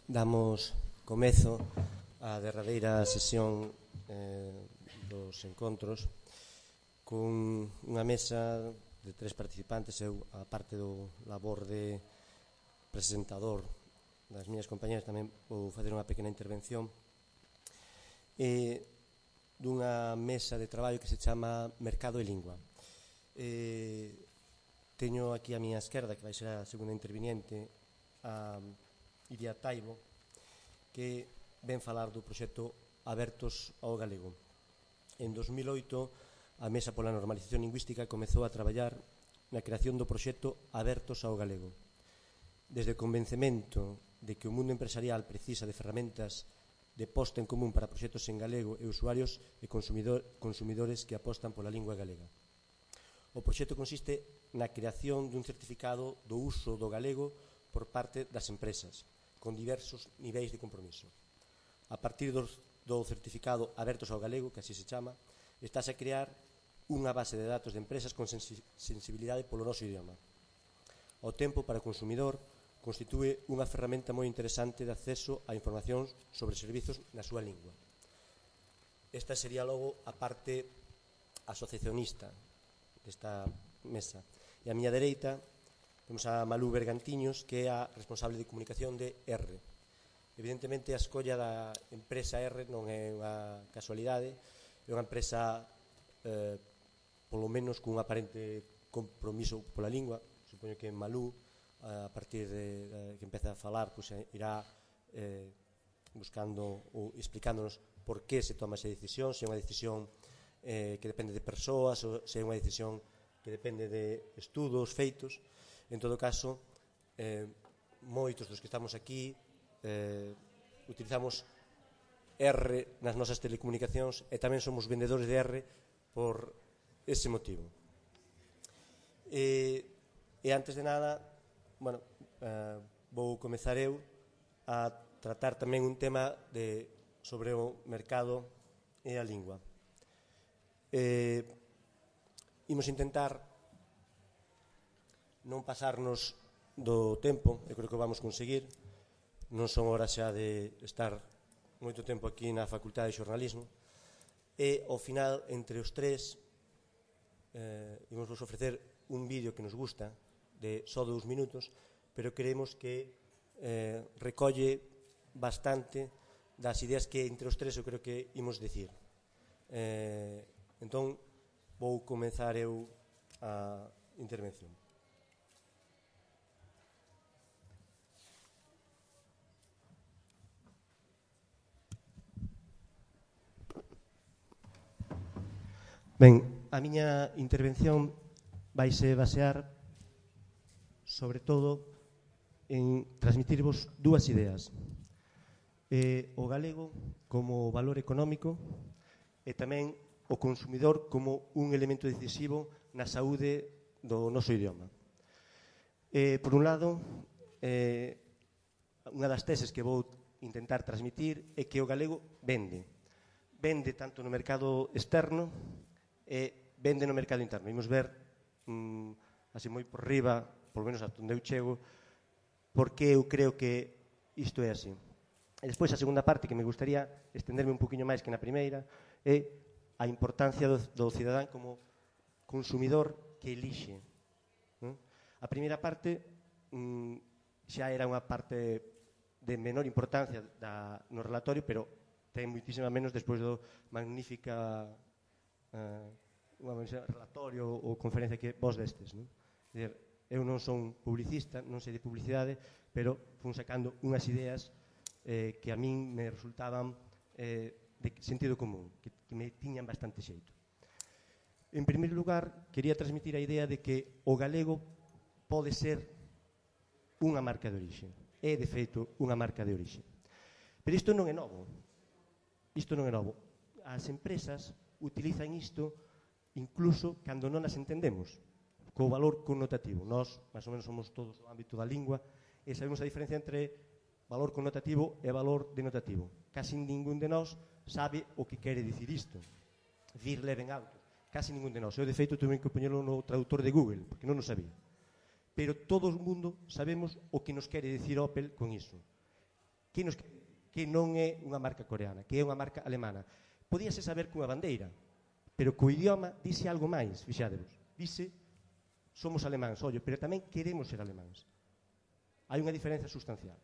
Damos comezo á derradeira sesión dos encontros con unha mesa de 3 participantes. Eu, a parte do labor de presentador das miñas compañeras, tamén vou facer unha pequena intervención dunha mesa de traballo que se chama Mercado e Lingua. Teño aquí a miña esquerda, que vai ser a segunda interviniente, a Iria Taibo, que ven falar do proxecto Abertos ao Galego. En 2008, a Mesa pola Normalización Lingüística comezou a traballar na creación do proxecto Abertos ao Galego. Desde o convencemento de que o mundo empresarial precisa de ferramentas de posta en común para proxectos en galego e usuarios e consumidores que apostan pola lingua galega. O proxecto consiste na creación dun certificado do uso do galego por parte das empresas, con diversos niveis de compromiso. A partir do certificado Abertos ao Galego, que así se chama, estáse a crear unha base de datos de empresas con sensibilidade polo noso idioma. O tempo para o consumidor constitúe unha ferramenta moi interesante de acceso a información sobre servizos na súa lingua. Esta sería logo a parte asociacionista desta mesa. E a miña dereita temos a Malú Bergantiños, que é a responsable de comunicación de R. Evidentemente, a escolla da empresa R non é unha casualidade, é unha empresa polo menos cun aparente compromiso pola lingua. Supoño que Malú, a partir de que empeza a falar, irá buscando ou explicándonos por que se toma esa decisión, se é unha decisión que depende de persoas ou se é unha decisión que depende de estudos feitos. En todo caso, moitos dos que estamos aquí utilizamos R nas nosas telecomunicacións e tamén somos vendedores de R por ese motivo. E antes de nada, vou comezar eu a tratar tamén un tema sobre o mercado e a lingua. Imos intentar non pasarnos do tempo, eu creo que o vamos conseguir. Non son horas xa de estar moito tempo aquí na Facultade de Xornalismo, e ao final, entre os tres, imos vos ofrecer un vídeo que nos gusta de só 2 minutos, pero creemos que recolle bastante das ideas que entre os tres eu creo que imos dicir. Entón, vou comenzar eu a intervención. Ben, a miña intervención vaise basear sobre todo en transmitirvos 2 ideas. O galego como valor económico e tamén o consumidor como un elemento decisivo na saúde do noso idioma. Por un lado, unha das teses que vou intentar transmitir é que o galego vende tanto no mercado externo e vende no mercado interno. Imos ver, así moi por riba, polo menos a onde eu chego, porque eu creo que isto é así. E despois a segunda parte, que me gustaría estenderme un poquinho máis que na primeira, é a importancia do cidadán como consumidor que elixe. A primeira parte xa era unha parte de menor importancia no relatorio, pero ten moitísima menos despois do magnífica relatorio ou conferencia que vos destes. Eu non son publicista, non sei de publicidade, pero fun sacando unhas ideas que a min me resultaban de sentido común, que me tiñan bastante xeito. En primeiro lugar, quería transmitir a idea de que o galego pode ser unha marca de orixe. É, de feito, unha marca de orixe. Pero isto non é novo. As empresas utilizan isto incluso cando non as entendemos, co valor connotativo. Nós, máis ou menos, somos todos no ámbito da lingua e sabemos a diferencia entre valor connotativo e valor denotativo. Casi ningún de nós sabe o que quere dicir isto. Wir leben Autos. Casi ningún de nós. Eu, de feito, tuve que poñerlo no traductor de Google, porque non o sabía. Pero todo o mundo sabemos o que nos quere dicir Opel con iso. que non é unha marca coreana, que é unha marca alemana. Podíase saber cunha bandeira, pero co idioma dice algo máis, fixádevos. Dice, somos alemáns, ollo, pero tamén queremos ser alemáns. Hai unha diferencia sustancial.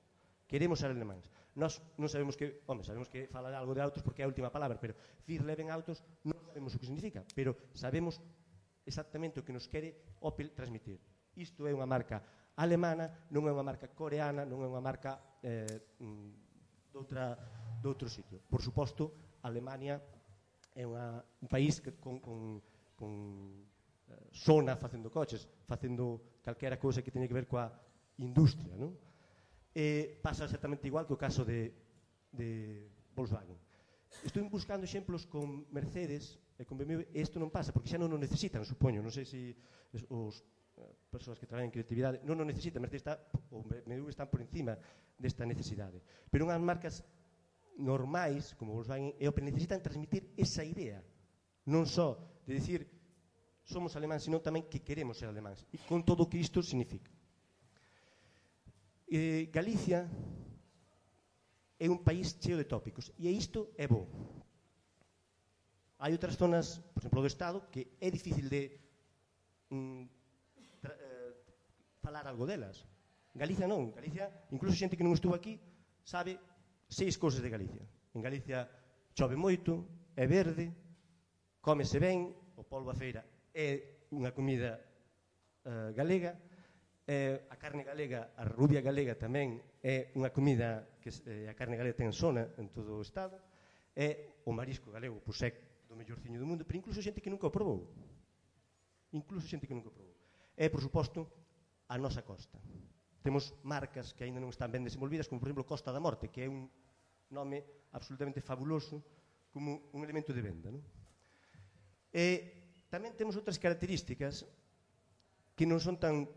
Queremos ser alemáns. Nós non sabemos que, sabemos que fala algo de autos porque é a última palabra, pero Vir Leven Autos non sabemos o que significa, pero sabemos exactamente o que nos quere Opel transmitir. Isto é unha marca alemana, non é unha marca coreana, non é unha marca de outro sitio. Por suposto, Alemania é un país que con sona facendo coches, facendo calquera cousa que teña que ver coa industria, non? Pasa exactamente igual que o caso de Volkswagen. Estou buscando exemplos con Mercedes e con BMW, e isto non pasa, porque xa non o necesitan, supoño. Non sei se os persoas que traballan en creatividade non o necesitan. Mercedes ou BMW están por encima desta necesidade. Pero unhas marcas normais, como Volkswagen e Opel, necesitan transmitir esa idea, non só de decir somos alemáns, sino tamén que queremos ser alemáns, e con todo o que isto significa. Galicia é un país cheo de tópicos, e isto é bo. Hai outras zonas, por exemplo, do Estado, que é difícil de falar algo delas. Galicia non. Galicia, incluso xente que non estuvo aquí, sabe 6 cousas de Galicia. En Galicia chove moito, é verde, cómese ben, o polvo a feira é unha comida galega, a carne galega, a rubia galega tamén é unha comida que a carne galega ten sona en todo o Estado, é o marisco galego, pois é do mellorciño do mundo, pero incluso xente que nunca o probou. É, por suposto, a nosa costa. Temos marcas que aínda non están ben desenvolvidas, como, por exemplo, Costa da Morte, que é un nome absolutamente fabuloso como un elemento de venda, non? E tamén temos outras características que non son tan,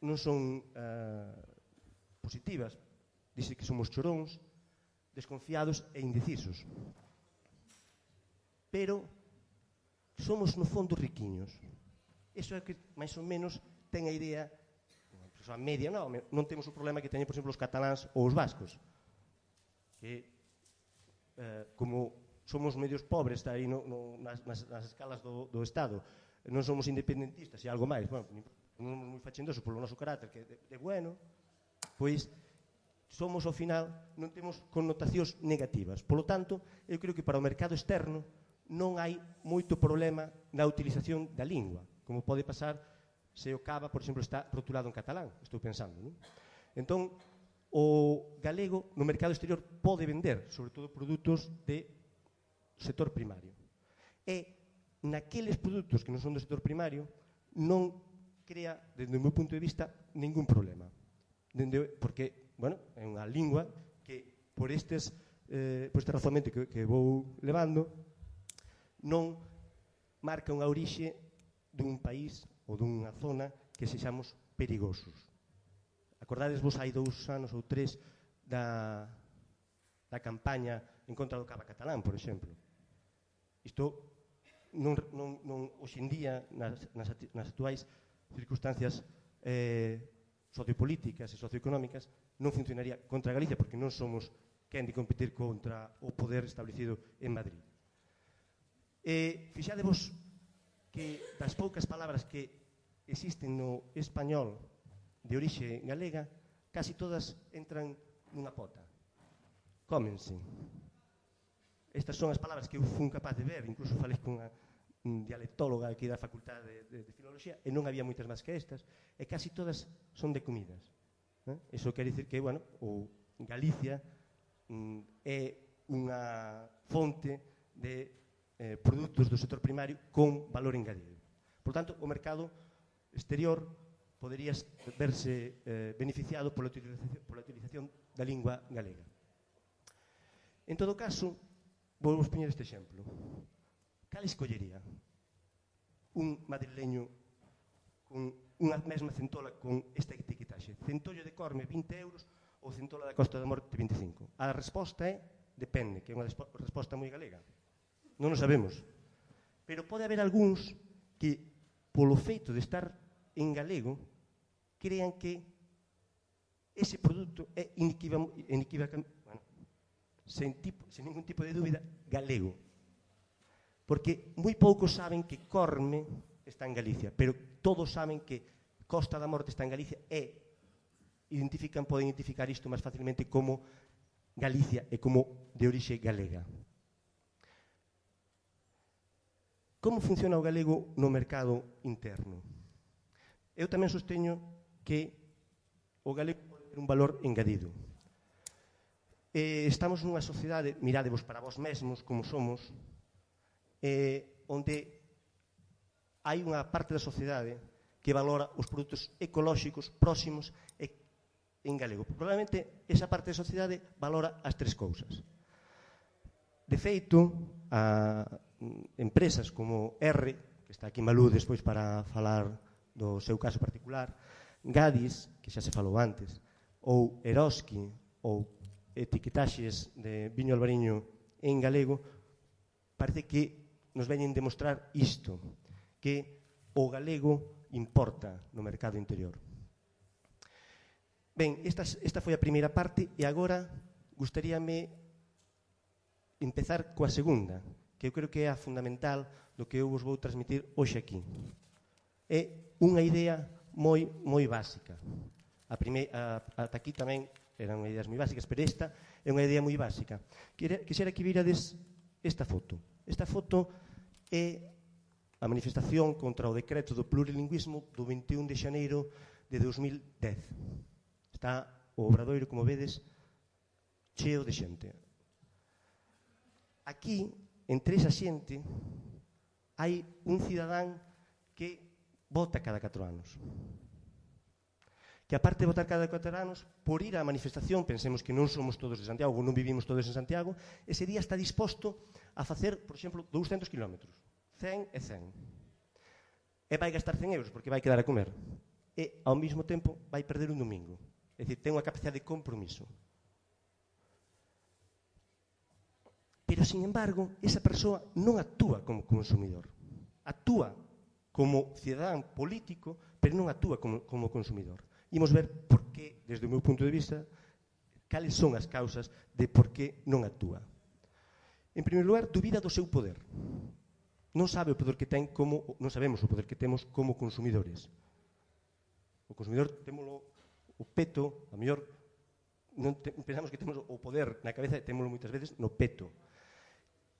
non son positivas. Dice que somos choróns, desconfiados e indecisos. Pero somos, no fondo, riquiños. Iso é que, máis ou menos, ten a idea, a media, non temos o problema que teñen, por exemplo, os cataláns ou os vascos, que como somos medios pobres aí nas escalas do Estado, non somos independentistas e algo máis, non somos moi fachendosos polo noso carácter, que de bueno, pois somos, ao final, non temos connotacións negativas. Polo tanto, eu creo que para o mercado externo non hai moito problema na utilización da lingua, como pode pasar se o cava, por exemplo, está rotulado en catalán, estou pensando, non? Entón, o galego no mercado exterior pode vender, sobre todo, produtos de sector primario. E naqueles produtos que non son do sector primario non crea, desde o meu punto de vista, ningún problema. Porque, é unha lingua que por este razonamento que vou levando non marca unha orixe dun país ou dunha zona que sexamos perigosos. Acordades vos hai 2 anos ou 3 da campaña en contra do cava catalán, por exemplo. Isto hoxe en día, nas actuais circunstancias sociopolíticas e socioeconómicas, non funcionaría contra Galicia, porque non somos quen de competir contra o poder establecido en Madrid. Fixadevos que das poucas palabras que existen no español de orixe galega, casi todas entran nunha pota. Cómense. Estas son as palabras que eu fui capaz de ver, incluso falei con unha dialectóloga aquí da Facultade de Filoloxía, e non había moitas máis que estas, e casi todas son de comidas. Iso quere dicir que, o Galicia é unha fonte de produtos do sector primario con valor engadido. Por tanto, o mercado exterior podería verse beneficiado pola utilización da lingua galega. En todo caso, vou vos poñer este exemplo. Cal escollería un madrileño con unha mesma centola con esta etiquetaxe? Centollo de Corme, 20 euros, ou centola da Costa da Morte, 25? A resposta é depende, que é unha resposta moi galega. Non o sabemos. Pero pode haber algúns que, polo feito de estar en galego, crean que ese produto é inequívocamente sen ningún tipo de dúbida, galego. Porque moi poucos saben que Corme está en Galicia, pero todos saben que Costa da Morte está en Galicia e poden identificar isto máis facilmente como Galicia e como de orixe galega. Como funciona o galego no mercado interno? Eu tamén sosteño que o galego pode ter un valor engadido. Estamos nunha sociedade, miradevos para vós mesmos como somos, onde hai unha parte da sociedade que valora os produtos ecolóxicos próximos en galego. Probablemente esa parte da sociedade valora as tres cousas. De feito, empresas como R, que está aquí Malú despois para falar do seu caso particular, Gadis, que xa se falou antes, ou Eroski, ou etiquetaxes de viño albariño en galego, parece que nos veñen demostrar isto, que o galego importa no mercado interior. Ben, esta foi a primeira parte e agora gustaríame empezar coa segunda, que eu creo que é a fundamental do que eu vos vou transmitir hoxe aquí. É unha idea moi básica. Ata aquí tamén eran ideas moi básicas, pero esta é unha idea moi básica. Quixera que virades esta foto. Esta foto é a manifestación contra o decreto do plurilingüismo do 21 de xaneiro de 2010. Está o Obradoiro, como vedes, cheo de xente. Aquí, entre esa xente, hai un cidadán que vota cada 4 anos. Que aparte de votar cada 4 anos, por ir á manifestación, pensemos que non somos todos de Santiago, non vivimos todos en Santiago, ese día está disposto a facer, por exemplo, 200 kilómetros, 100 e 100. E vai gastar 100 euros porque vai quedar a comer. E, ao mesmo tempo, vai perder un domingo. É dicir, ten unha capacidade de compromiso. Pero, sin embargo, esa persoa non actúa como consumidor. Actúa como cidadán político, pero non actúa como consumidor. Imos ver por que, desde o meu punto de vista, cales son as causas de por que non actúa. En primeiro lugar, dubida do seu poder. Non sabe o poder que ten non sabemos o poder que temos como consumidores. O consumidor témolo o peto, a mellor pensamos que temos o poder na cabeza e témolo moitas veces no peto.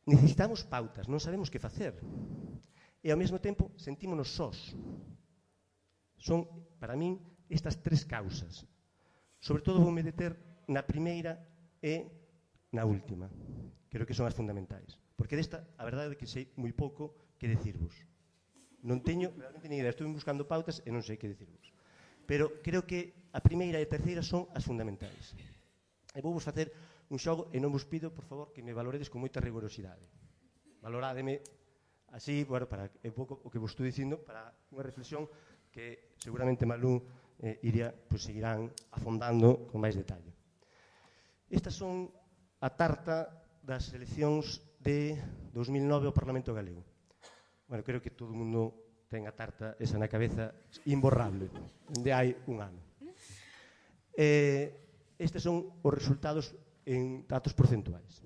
Necesitamos pautas, non sabemos que facer. E ao mesmo tempo sentímonos sós. Son, para min, estas tres causas. Sobre todo vou me deter na primeira e na última. Creo que son as fundamentais. Porque desta, a verdade é que sei moi pouco que decirvos. Non teño realmente ni idea. Estou buscando pautas e non sei que decirvos. Pero creo que a primeira e a terceira son as fundamentais. E vou vos facer un xogo e non vos pido, por favor, que me valoredes con moita rigorosidade. Valorádeme así, bueno, para un pouco o que vos estou dicindo, para unha reflexión que seguramente Malú seguirán afondando con máis detalle. Estas son a tarta das eleccións de 2009 ao Parlamento Galego. Bueno, creo que todo o mundo ten a tarta esa na cabeza imborrable, onde hai un ano. Estes son os resultados en datos porcentuais.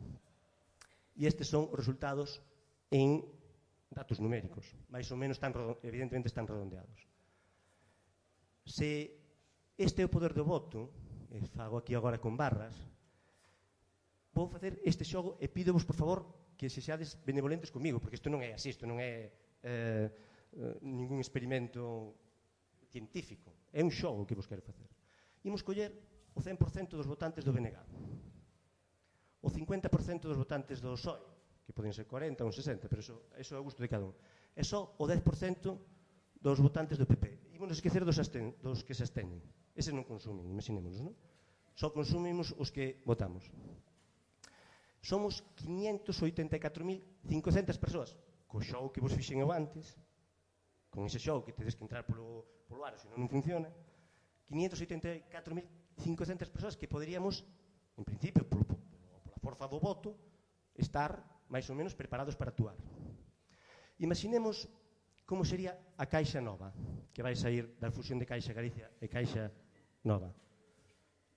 E estes son os resultados en datos numéricos. Mais ou menos, evidentemente, están redondeados. Se este é o poder do voto, e fago aquí agora con barras, vou facer este xogo e pídovos, por favor, que se seades benevolentes comigo, porque isto non é así, isto non é ningún experimento científico. É un xogo que vos quero facer. Imos coller o 100% dos votantes do BNG, o 50% dos votantes do PSOE, que poden ser 40 ou 60, pero eso é o gusto de cada un. E só o 10% dos votantes do PP. Ímonos esquecer dos que se absteñen. Eses non consumen, imaginémonos, non? Só consumimos os que votamos. Somos 584.500 persoas. Co xogo que vos fixen eu antes, con ese xogo que tedes que entrar polo aro, senón non funciona, 584.500 persoas que poderíamos, en principio, pola forza do voto, estar máis ou menos preparados para actuar. Imaginemos como sería a Caixa Nova, que vai sair da fusión de Caixa Galicia e Caixa Nova.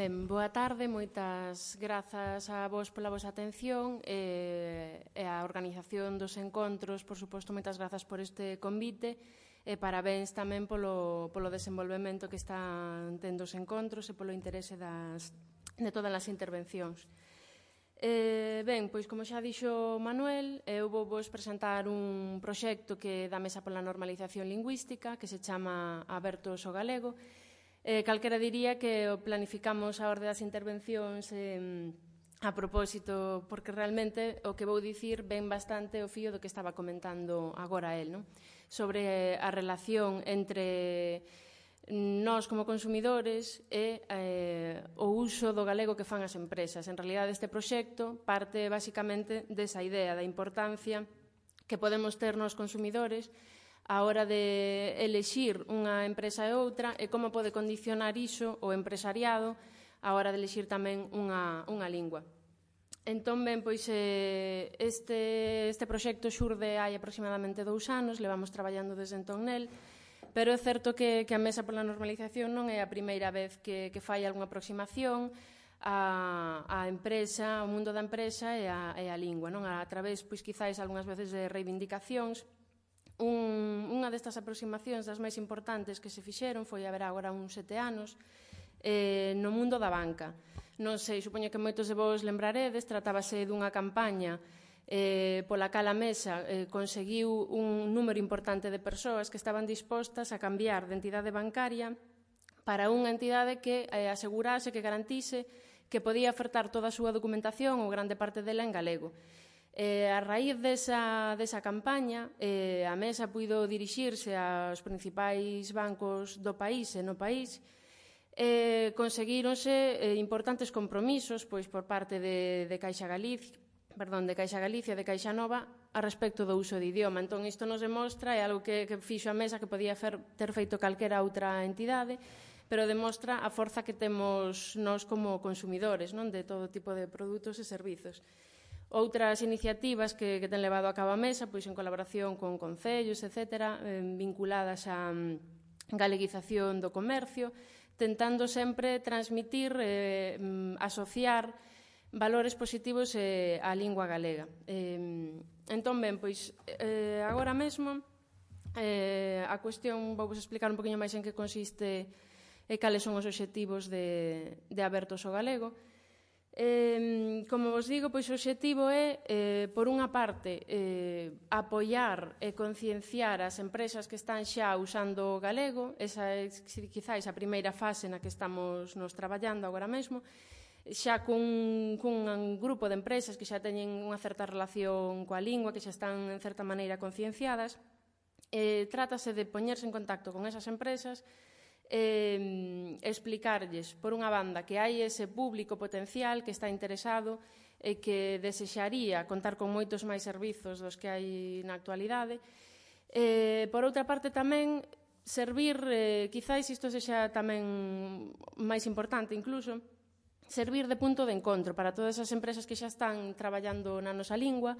Ben, boa tarde, moitas grazas a vos pola vosa atención e a organización dos encontros, por suposto, moitas grazas por este convite e parabéns tamén polo desenvolvemento que están tendo os encontros e polo interese de todas as intervencións. Ben, pois como xa dixo Manuel, eu vou vos presentar un proxecto que da Mesa pola Normalización Lingüística que se chama Abertos ao Galego. Calquera diría que planificamos a orde das intervencións a propósito, porque realmente o que vou dicir ven bastante o fío do que estaba comentando agora el, non? Sobre a relación entre nós como consumidores e o uso do galego que fan as empresas. En realidad, este proxecto parte basicamente desa idea da importancia que podemos ter nos consumidores a hora de elexir unha empresa e outra e como pode condicionar iso o empresariado a hora de elexir tamén unha lingua. Entón, ben, pois este proxecto xurde hai aproximadamente 2 anos, levamos traballando desde entón nel, pero é certo que a Mesa pola Normalización non é a primeira vez que fai algunha aproximación a empresa, ao mundo da empresa e a lingua, non? A través, pois, quizáis, algunhas veces de reivindicacións. Unha destas aproximacións das máis importantes que se fixeron foi haber agora uns 7 anos no mundo da banca. Non sei, supoño que moitos de vos lembraredes, tratábase dunha campaña pola cal a Mesa conseguiu un número importante de persoas que estaban dispostas a cambiar de entidade bancaria para unha entidade que asegurase, que garantise que podía ofertar toda a súa documentación ou grande parte dela en galego. A raíz desa campaña, a Mesa puido dirixirse aos principais bancos do país e no país e conseguíronse importantes compromisos pois por parte de Caixa Galicia, de Caixa Nova, a respecto do uso de idioma. Entón, isto nos demostra, é algo que fixo a Mesa que podía ter feito calquera outra entidade, pero demostra a forza que temos nós como consumidores, non, de todo tipo de produtos e servizos. Outras iniciativas que ten levado a cabo a Mesa, pois en colaboración con concellos, etc., vinculadas á galeguización do comercio, tentando sempre transmitir, asociar valores positivos á lingua galega. Entón, ben, pois agora mesmo a cuestión, vou vos explicar un poquinho máis en que consiste e cales son os obxectivos de Abertos ao Galego. Como vos digo, pois o obxectivo é, por unha parte, apoiar e concienciar as empresas que están xa usando o galego. Esa é, quizáis, a primeira fase na que estamos nos traballando agora mesmo, xa cun grupo de empresas que xa teñen unha certa relación coa lingua, que xa están, en certa maneira, concienciadas. Trátase de poñerse en contacto con esas empresas, explicarlles, por unha banda, que hai ese público potencial que está interesado e que desexaría contar con moitos máis servizos dos que hai na actualidade. Por outra parte, tamén servir, quizáis isto sexa tamén máis importante incluso, servir de punto de encontro para todas as empresas que xa están traballando na nosa lingua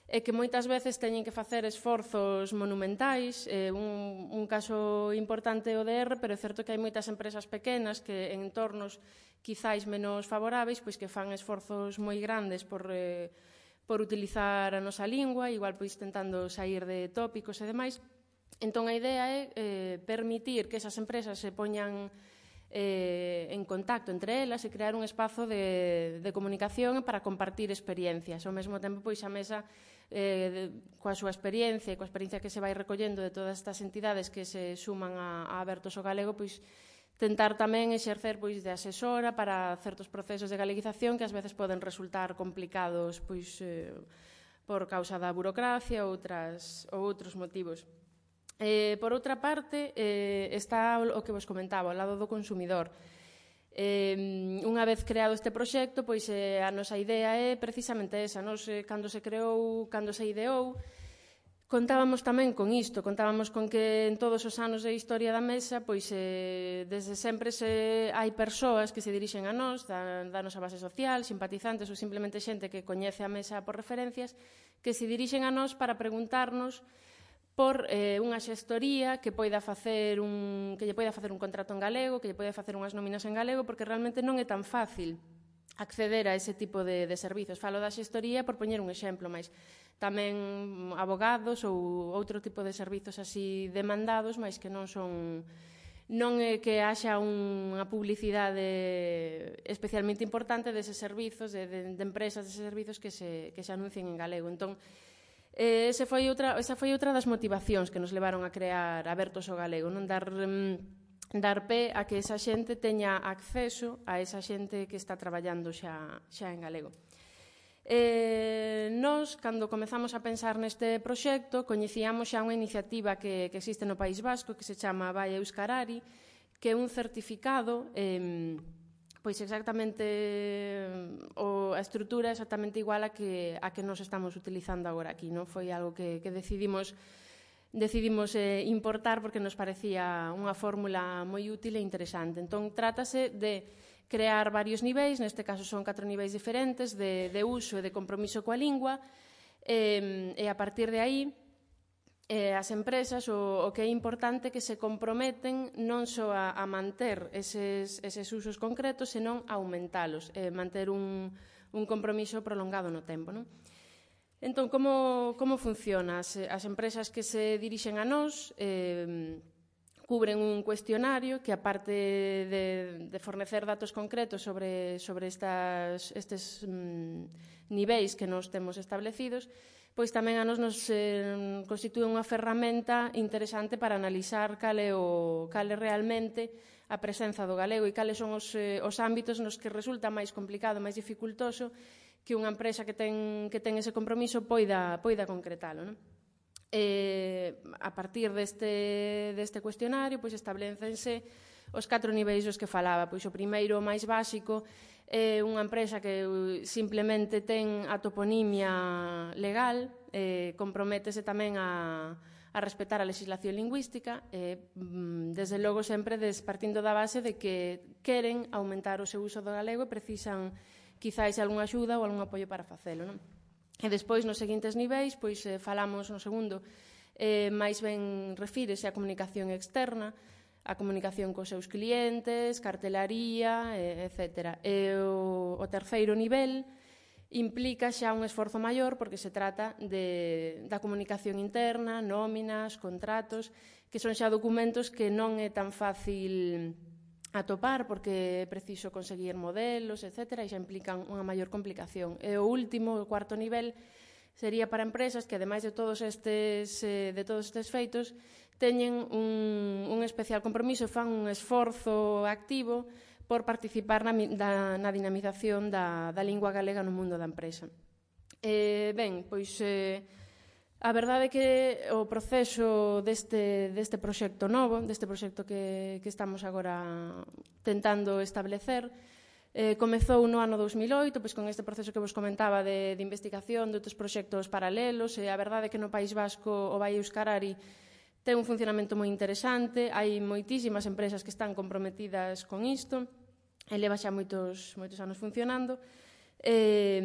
e que moitas veces teñen que facer esforzos monumentais. Un caso importante é o DR, pero é certo que hai moitas empresas pequenas que en entornos quizáis menos favoráveis, pois que fan esforzos moi grandes por utilizar a nosa lingua, igual pois tentando sair de tópicos e demais. Entón a idea é permitir que esas empresas se poñan en contacto entre elas e crear un espazo de comunicación para compartir experiencias. Ao mesmo tempo, pois a Mesa, coa súa experiencia e coa experiencia que se vai recollendo de todas estas entidades que se suman a Abertos ao Galego, pois tentar tamén exercer pois de asesora para certos procesos de galeguización que ás veces poden resultar complicados pois por causa da burocracia ou outros motivos. Por outra parte, está o que vos comentaba, ao lado do consumidor. Unha vez creado este proxecto, pois a nosa idea é precisamente esa. Nos, cando se creou, cando se ideou, contábamos tamén con isto, contábamos con que en todos os anos de historia da Mesa, pois desde sempre hai persoas que se dirixen a nós, da nosa base social, simpatizantes ou simplemente xente que coñece a Mesa por referencias, que se dirixen a nós para preguntarnos por unha xestoría que lle poida facer un contrato en galego, que lle poida facer unhas nóminas en galego, porque realmente non é tan fácil acceder a ese tipo de servizos. Falo da xestoría por poñer un exemplo, mas tamén abogados ou outro tipo de servizos así demandados, mas que non é que haxa unha publicidade especialmente importante deses servizos, de empresas deses servizos que se anuncien en galego. Entón, esa foi outra das motivacións que nos levaron a crear Abertos ao Galego, non dar pé a que esa xente teña acceso a esa xente que está traballando xa en galego. Nós, cando comezamos a pensar neste proxecto, coñecíamos xa unha iniciativa que existe no País Vasco que se chama Vai Euskarari, que é un certificado, pois exactamente a estrutura exactamente igual a que nos estamos utilizando agora aquí, non? Foi algo que decidimos importar porque nos parecía unha fórmula moi útil e interesante. Entón, trátase de crear varios niveis, neste caso son 4 niveis diferentes de uso e de compromiso coa lingua, e a partir de aí as empresas o que é importante que se comprometen non só a manter eses usos concretos, senón a aumentalos, manter un compromiso prolongado no tempo, non? Entón, como funciona? As empresas que se dirixen a nós cubren un cuestionario que, aparte de fornecer datos concretos sobre estes niveis que nos temos establecidos, pois tamén a nos constitúe unha ferramenta interesante para analizar cal é realmente a presenza do galego e cales son os ámbitos nos que resulta máis complicado, máis dificultoso que unha empresa que ten ese compromiso poida concretalo, non? A partir deste cuestionario establécense os 4 niveis dos que falaba. Pois o primeiro, o máis básico, é unha empresa que simplemente ten a toponimia legal, comprométese tamén a respetar a legislación lingüística, desde logo sempre partindo da base de que queren aumentar o seu uso do galego e precisan quizáis algunha axuda ou algún apoio para facelo, non? E despois, nos seguintes niveis, pois falamos no segundo, máis ben refírese á comunicación externa, a comunicación cos seus clientes, cartelaría, etc. E o terceiro nivel implica xa un esforzo maior porque se trata da comunicación interna, nóminas, contratos, que son xa documentos que non é tan fácil atopar porque é preciso conseguir modelos, etc. e xa implican unha maior complicación. E o último, o cuarto nivel, sería para empresas que, ademais de todos estes feitos, teñen un especial compromiso e fan un esforzo activo por participar na dinamización da lingua galega no mundo da empresa. Ben, pois a verdade é que o proceso deste proxecto novo, deste proxecto que estamos agora tentando establecer, comezou no ano 2008, pois con este proceso que vos comentaba de investigación de outros proxectos paralelos, e a verdade é que no País Vasco o Vai Euskarari ten un funcionamento moi interesante, hai moitísimas empresas que están comprometidas con isto, e leva xa moitos anos funcionando. E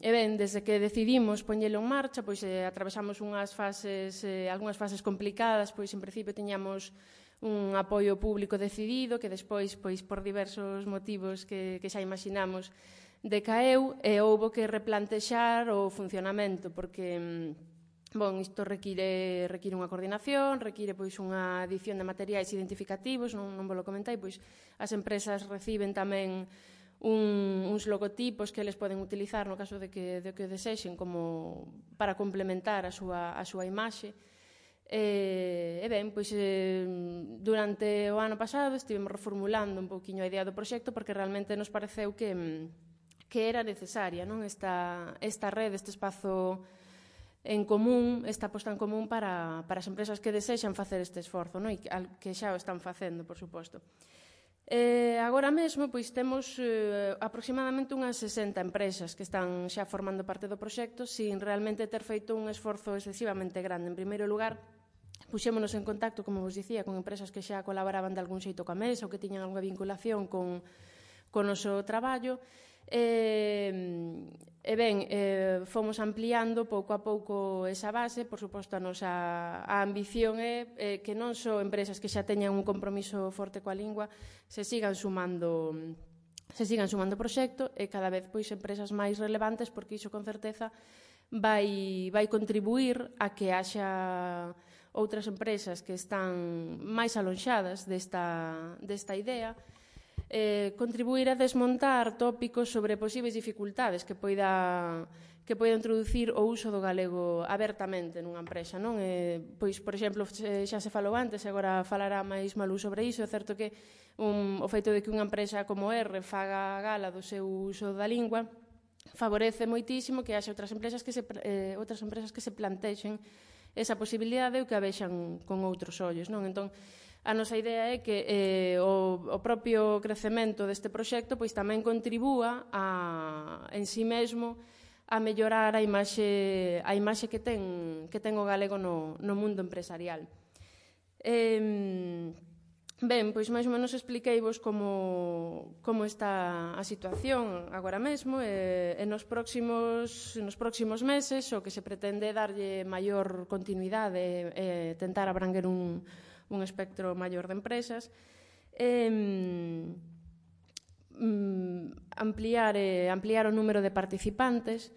ben, desde que decidimos poñelo en marcha, pois atravesamos algunhas fases complicadas, pois en principio tiñamos un apoio público decidido que despois, pois por diversos motivos que xa imaginamos, decaeu e houbo que replantexar o funcionamento porque isto require unha coordinación, require pois unha adición de materiais identificativos, non vos lo comentei, pois as empresas reciben tamén uns logotipos que eles poden utilizar no caso de que desexen como para complementar a súa imaxe. E ben, pois durante o ano pasado estivemos reformulando un pouquiño a idea do proxecto porque realmente nos pareceu que era necesaria, non, esta rede, este espazo en común, esta aposta en común para as empresas que desexan facer este esforzo, non, e que xa o están facendo, por suposto. Agora mesmo pois temos aproximadamente unhas 60 empresas que están xa formando parte do proxecto sin realmente ter feito un esforzo excesivamente grande. En primeiro lugar, puxémonos en contacto, como vos dicía, con empresas que xa colaboraban de algún xeito coa Mesa ou que tiñan algunha vinculación con o noso traballo. E ben, fomos ampliando pouco a pouco esa base. Por suposto, a nosa ambición é que non só empresas que xa teñan un compromiso forte coa lingua se sigan sumando proxecto, e cada vez pois empresas máis relevantes, porque iso con certeza vai contribuir a que haxa outras empresas que están máis alonxadas desta idea, contribuir a desmontar tópicos sobre posibles dificultades que poida introducir o uso do galego abertamente nunha empresa, non? Pois, por exemplo, xa se falou antes, agora falará máis Malú sobre iso. É certo que o feito de que unha empresa como R faga gala do seu uso da lingua favorece moitísimo que haxa outras empresas que se plantexen esa posibilidade ou que a vexan con outros ollos, non? Entón, a nosa idea é que o propio crecemento deste proxecto pois tamén contribúa en si mesmo a mellorar a imaxe que ten o galego no mundo empresarial. Ben, pois máis ou menos expliqueivos como está a situación agora mesmo, e nos próximos meses o que se pretende é darlle maior continuidade e tentar abranguer un espectro maior de empresas, ampliar o número de participantes,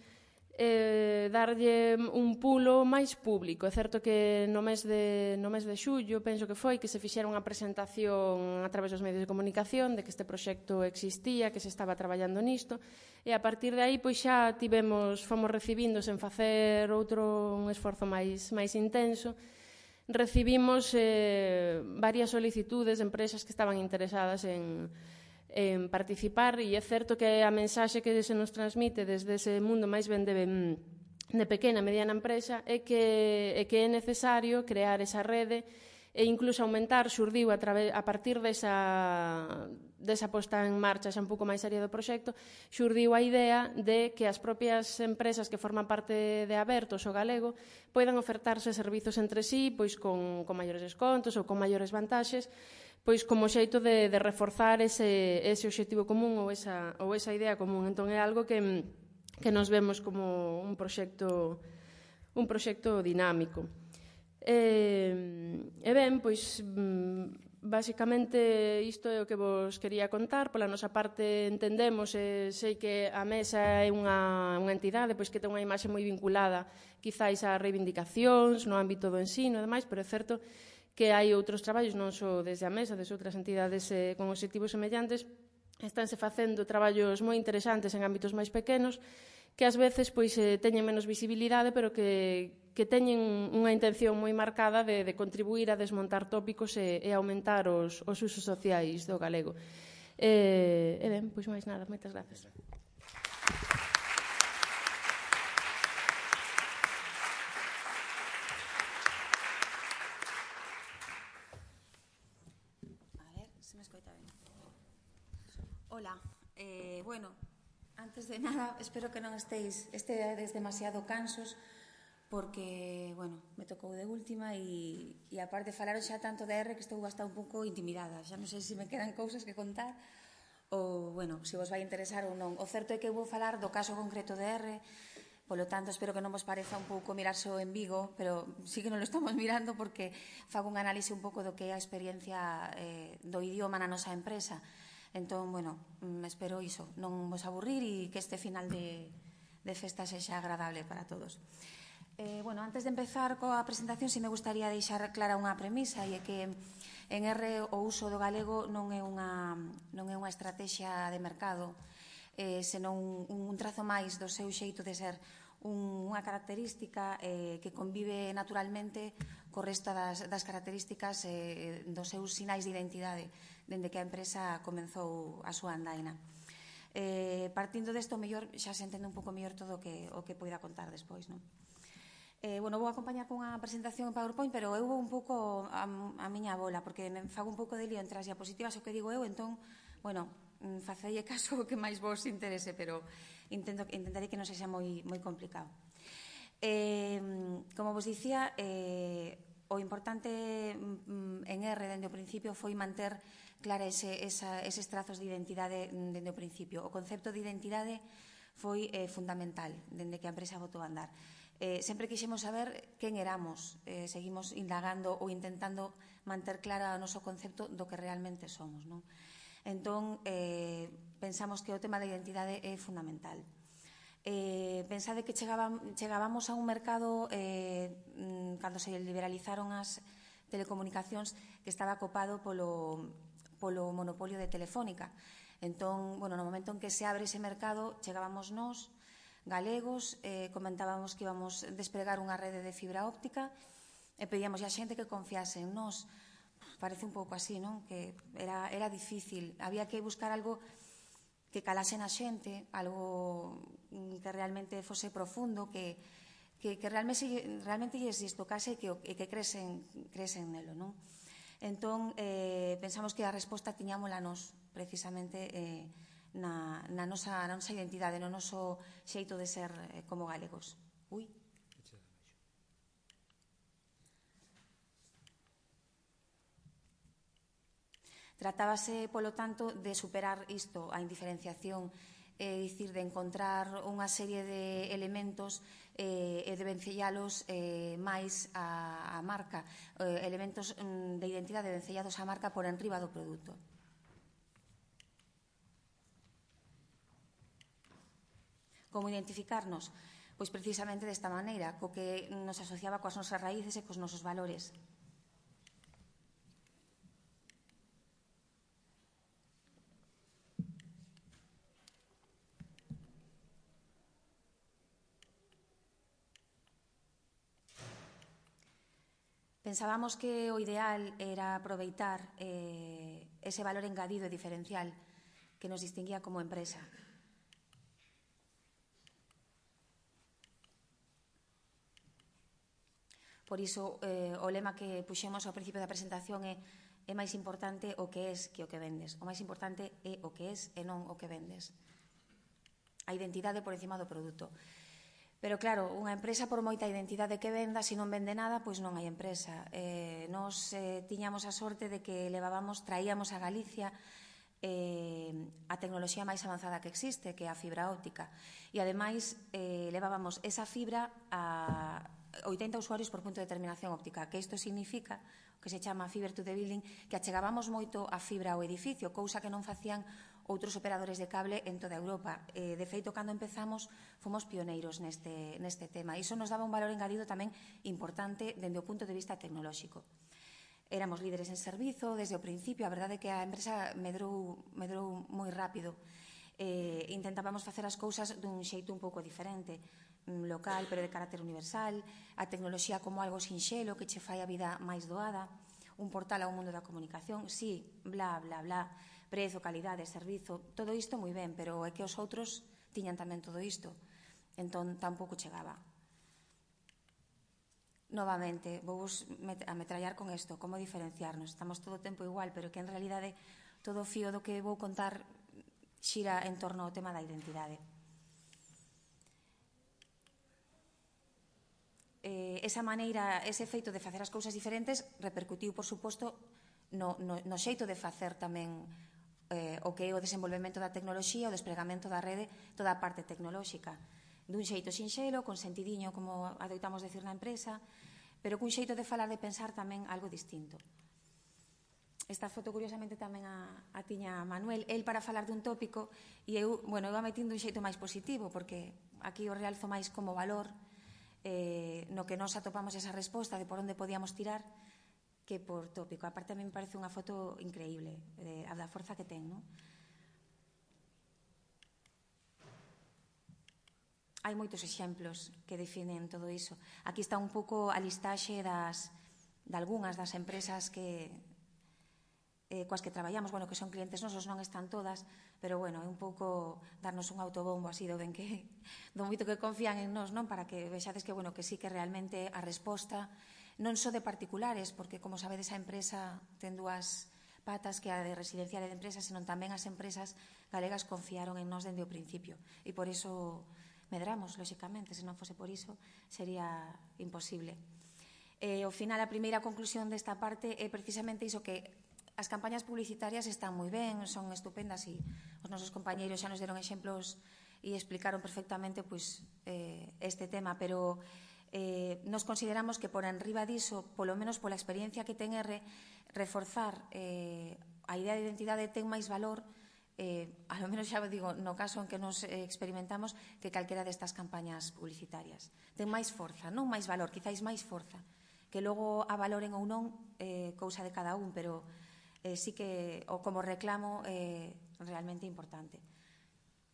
darlle un pulo máis público. É certo que no mes de xullo, penso que foi, que se fixera unha presentación a través dos medios de comunicación de que este proxecto existía, que se estaba traballando nisto, e a partir de aí pois xa fomos recibindo, sen facer un esforzo máis intenso, recibimos varias solicitudes de empresas que estaban interesadas en participar, e é certo que a mensaxe que se nos transmite desde ese mundo máis ben de pequena e mediana empresa é que é necesario crear esa rede e incluso aumentar. Xurdiu a partir desa posta en marcha xa un pouco máis seria do proxecto, xurdiu a idea de que as propias empresas que forman parte de Abertos o Galego poidan ofertarse servizos entre sí pois con maiores descontos ou con maiores vantaxes, pois como xeito de reforzar ese obxectivo común ou esa idea común. Entón é algo que nos vemos como un proxecto dinámico. E ben, pois basicamente isto é o que vos quería contar. Pola nosa parte entendemos, sei que a Mesa é unha entidade pois que ten unha imaxe moi vinculada quizáis a reivindicacións no ámbito do ensino e demais, pero é certo que hai outros traballos, non só desde a Mesa, desde outras entidades con obxectivos semellantes, estánse facendo traballos moi interesantes en ámbitos máis pequenos que ás veces pois teñen menos visibilidade, pero que teñen unha intención moi marcada de contribuir a desmontar tópicos e aumentar os usos sociais do galego. E ben, pois máis nada, moitas gracias. A ver, se me escoita ben. Hola, bueno, antes de nada, espero que non estedes demasiado cansos, porque, bueno, me tocou de última e aparte falaron xa tanto de R que estou hasta un pouco intimidada. Xa non sei se me quedan cousas que contar ou, bueno, se vos vai interesar ou non. O certo é que vou falar do caso concreto de R, polo tanto, espero que non vos pareza un pouco mirar só en Vigo, pero sí que non lo estamos mirando porque fago un análise un pouco do que é a experiencia do idioma na nosa empresa. Entón, bueno, espero iso, non vos aburrir e que este final de festa sexa agradable para todos. Bueno, antes de empezar coa presentación, si me gustaría deixar clara unha premisa, e é que en R o uso do galego non é unha estrategia de mercado, senón un trazo máis do seu xeito de ser, unha característica que convive naturalmente co resto das características dos seus sinais de identidade dende que a empresa comenzou a súa andaina. Partindo desto, mellor xa se entende un pouco mellor todo o que poida contar despois, non? Bueno, vou acompañar con unha presentación en PowerPoint, pero eu vou un pouco a miña bola, porque me fago un pouco de lío entre as diapositivas o que digo eu, entón, bueno, facelle caso o que máis vos interese, pero intentarei que non sexa moi complicado. Como vos dicía, O importante en R dende o principio foi manter clara eses trazos de identidade dende o principio. O concepto de identidade foi fundamental dende que a empresa botou a andar. Sempre quixemos saber quen éramos, seguimos indagando ou intentando manter clara o noso concepto do que realmente somos, non? Entón, pensamos que o tema da identidade é fundamental. Pensade que chegábamos a un mercado cando se liberalizaron as telecomunicacións que estaba copado polo monopolio de Telefónica. Entón, no momento en que se abre ese mercado, chegábamos nós, galegos, comentábamos que íbamos despregar unha rede de fibra óptica e pedíamos a xente que confiase en nós. Parece un pouco así, non? Que era difícil. Había que buscar algo que calase na xente, algo que realmente fose profundo, que realmente lles tocase e que cresen nelo, non? Entón, pensamos que a resposta tiñámola nós, precisamente, na nosa identidade, no noso xeito de ser como galegos. Tratábase, polo tanto, de superar isto, a indiferenciación, é dicir, de encontrar unha serie de elementos e de vencellalos máis á marca, elementos de identidade vencellados á marca por enriba do produto. Como identificarnos? Pois precisamente desta maneira, co que nos asociaba coas nosas raíces e cos nosos valores. Pensábamos que o ideal era aproveitar ese valor engadido e diferencial que nos distinguía como empresa. Por iso, o lema que puxemos ao principio da presentación é máis importante o que és que o que vendes. O máis importante é o que és e non o que vendes. A identidade por encima do produto. Pero claro, unha empresa por moita identidade que venda, se non vende nada, pois non hai empresa. Nos tiñamos a sorte de que traíamos a Galicia a tecnoloxía máis avanzada que existe, que é a fibra óptica. E ademais levábamos esa fibra a 80 usuarios por punto de terminación óptica, que isto significa, que se chama Fiber to the Building, que achegábamos moito a fibra ao edificio, cousa que non facían outros operadores de cable en toda Europa. De feito, cando empezamos, fomos pioneiros neste tema. Iso nos daba un valor engadido tamén importante dende o punto de vista tecnolóxico. Éramos líderes en servizo desde o principio. A verdade é que a empresa medrou moi rápido. Intentábamos facer as cousas dun xeito un pouco diferente, local, pero de carácter universal, a tecnoloxía como algo sinxelo que che fai a vida máis doada, un portal ao mundo da comunicación, sí, bla, bla, bla, prezo, calidade, servizo, todo isto moi ben, pero é que os outros tiñan tamén todo isto, entón tampouco chegaba. Novamente, vou ametrallar con isto, como diferenciarnos, estamos todo o tempo igual, pero que en realidade todo o fío do que vou contar xira en torno ao tema da identidade. Esa maneira, ese feito de facer as cousas diferentes repercutiu, por suposto, no xeito de facer tamén o que é o desenvolvemento da tecnoloxía, o despregamento da rede, toda a parte tecnolóxica. Dun xeito sinxelo, con sentidiño, como adoitamos decir na empresa, pero cun xeito de falar, de pensar tamén algo distinto. Esta foto, curiosamente, tamén a tiña Manuel. El para falar dun tópico, e eu, iba metindo un xeito máis positivo, porque aquí o realzo máis como valor, no que nos atopamos esa resposta de por onde podíamos tirar, que por tópico. Aparte, a mí me parece unha foto increíble, a da forza que ten, non? Hai moitos exemplos que definen todo iso. Aquí está un pouco a listaxe de algunhas das empresas coas que traballamos, que son clientes nosos, non están todas, pero, é un pouco darnos un autobombo así do moito que confían en nós, non? Para que vexades que sí que realmente a resposta non só de particulares, porque, como sabedes, a empresa ten dúas patas, que a de residencial e de empresas, senón tamén as empresas galegas confiaron en nós dende o principio. E por iso medramos, lóxicamente, se non fose por iso, sería imposible. Ao final, a primeira conclusión desta parte é precisamente iso, que as campañas publicitarias están moi ben, son estupendas, e os nosos compañeiros xa nos deron exemplos e explicaron perfectamente este tema, pero nos consideramos que por enriba diso, polo menos pola experiencia que ten R, reforzar a idea de identidade ten máis valor, a lo menos xa digo, no caso en que nos experimentamos, que calquera destas campañas publicitarias. Ten máis forza, non máis valor, quizáis máis forza, que logo a valoren ou non, cousa de cada un, pero sí que, ou como reclamo, realmente importante.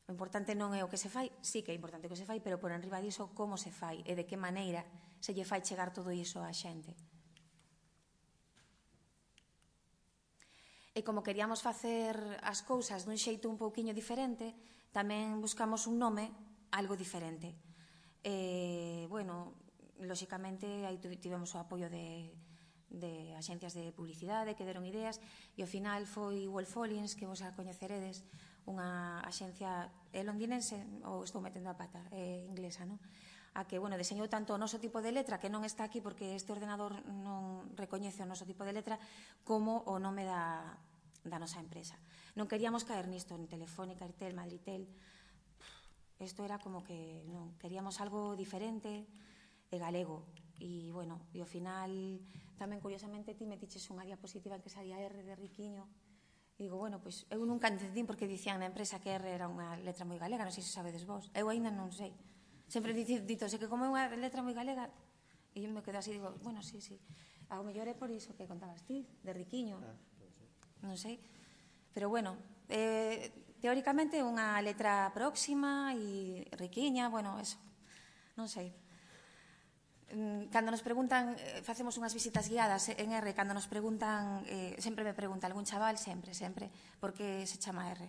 O importante non é o que se fai, sí que é importante o que se fai, pero por enriba diso como se fai e de que maneira se lle fai chegar todo iso á xente. E como queríamos facer as cousas dun xeito un pouquiño diferente, tamén buscamos un nome algo diferente. Bueno, lóxicamente, aí tivemos o apoio de axencias de publicidade que deron ideas, e ao final foi Wolf Collins, que vos a coñeceredes, unha axencia londinense, ou estou metendo a pata, inglesa, non? A que, bueno, deseñou tanto o noso tipo de letra, que non está aquí porque este ordenador non recoñece o noso tipo de letra, como o nome da nosa empresa. Non queríamos caer nisto, en Telefónica, Airtel, Madritel. Isto era como que non, queríamos algo diferente e galego. E, bueno, e ao final, tamén, curiosamente, ti metiches unha diapositiva en que salía R de Riquiño. E digo, bueno, pois, eu nunca entendín porque dicían na empresa que R era unha letra moi galega, non sei se sabedes vos. Eu ainda non sei. Sempre ditose que como é unha letra moi galega, e eu me quedo así, digo, bueno, sí. Ao mellor é por iso que contabas ti, de Riquiño. Non sei. Pero, bueno, teóricamente unha letra próxima e riquiña, bueno, eso. Non sei. Cando nos preguntan, facemos unhas visitas guiadas en R, cando nos preguntan, sempre me pregunta algún chaval, sempre, por que se chama R.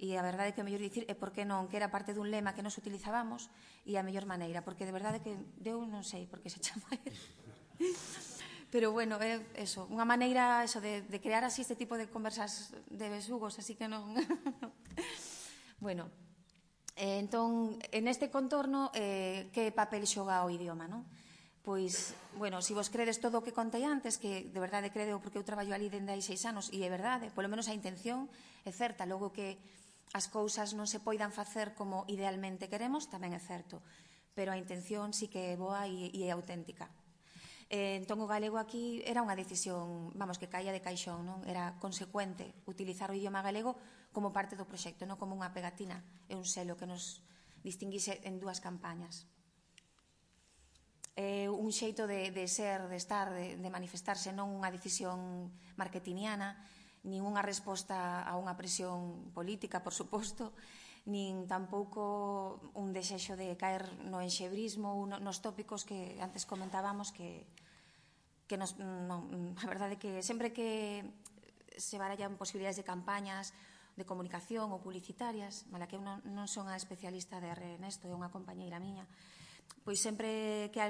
E a verdade é que o mellor dicir é por que non, que era parte dun lema que nos utilizábamos e a mellor maneira, porque de verdade que eu non sei por que se chama R. Pero, bueno, é eso, unha maneira de crear así este tipo de conversas de besugos, así que non... Bueno, entón, en este contorno, que papel xoga o idioma, non? Pois, bueno, se vos credes todo o que contei antes, que de verdade creo porque eu traballo ali dende hai 6 anos, e é verdade, polo menos a intención é certa, logo que as cousas non se poidan facer como idealmente queremos, tamén é certo, pero a intención sí que é boa e é auténtica. Entón, o galego aquí era unha decisión, vamos, que caía de caixón, non? Era consecuente utilizar o idioma galego como parte do proxecto, non como unha pegatina e un selo que nos distinguise en 2 campañas. Un xeito de ser, de estar, de manifestarse, non unha decisión marketingiana, nin unha resposta a unha presión política, por suposto, nin tampouco un desexo de caer no enxebrismo ou nos tópicos que antes comentábamos que a verdade é que sempre que se barallan posibilidades de campañas de comunicación ou publicitarias, mala que eu non son a especialista de R nesto, é unha compañeira miña, pois sempre que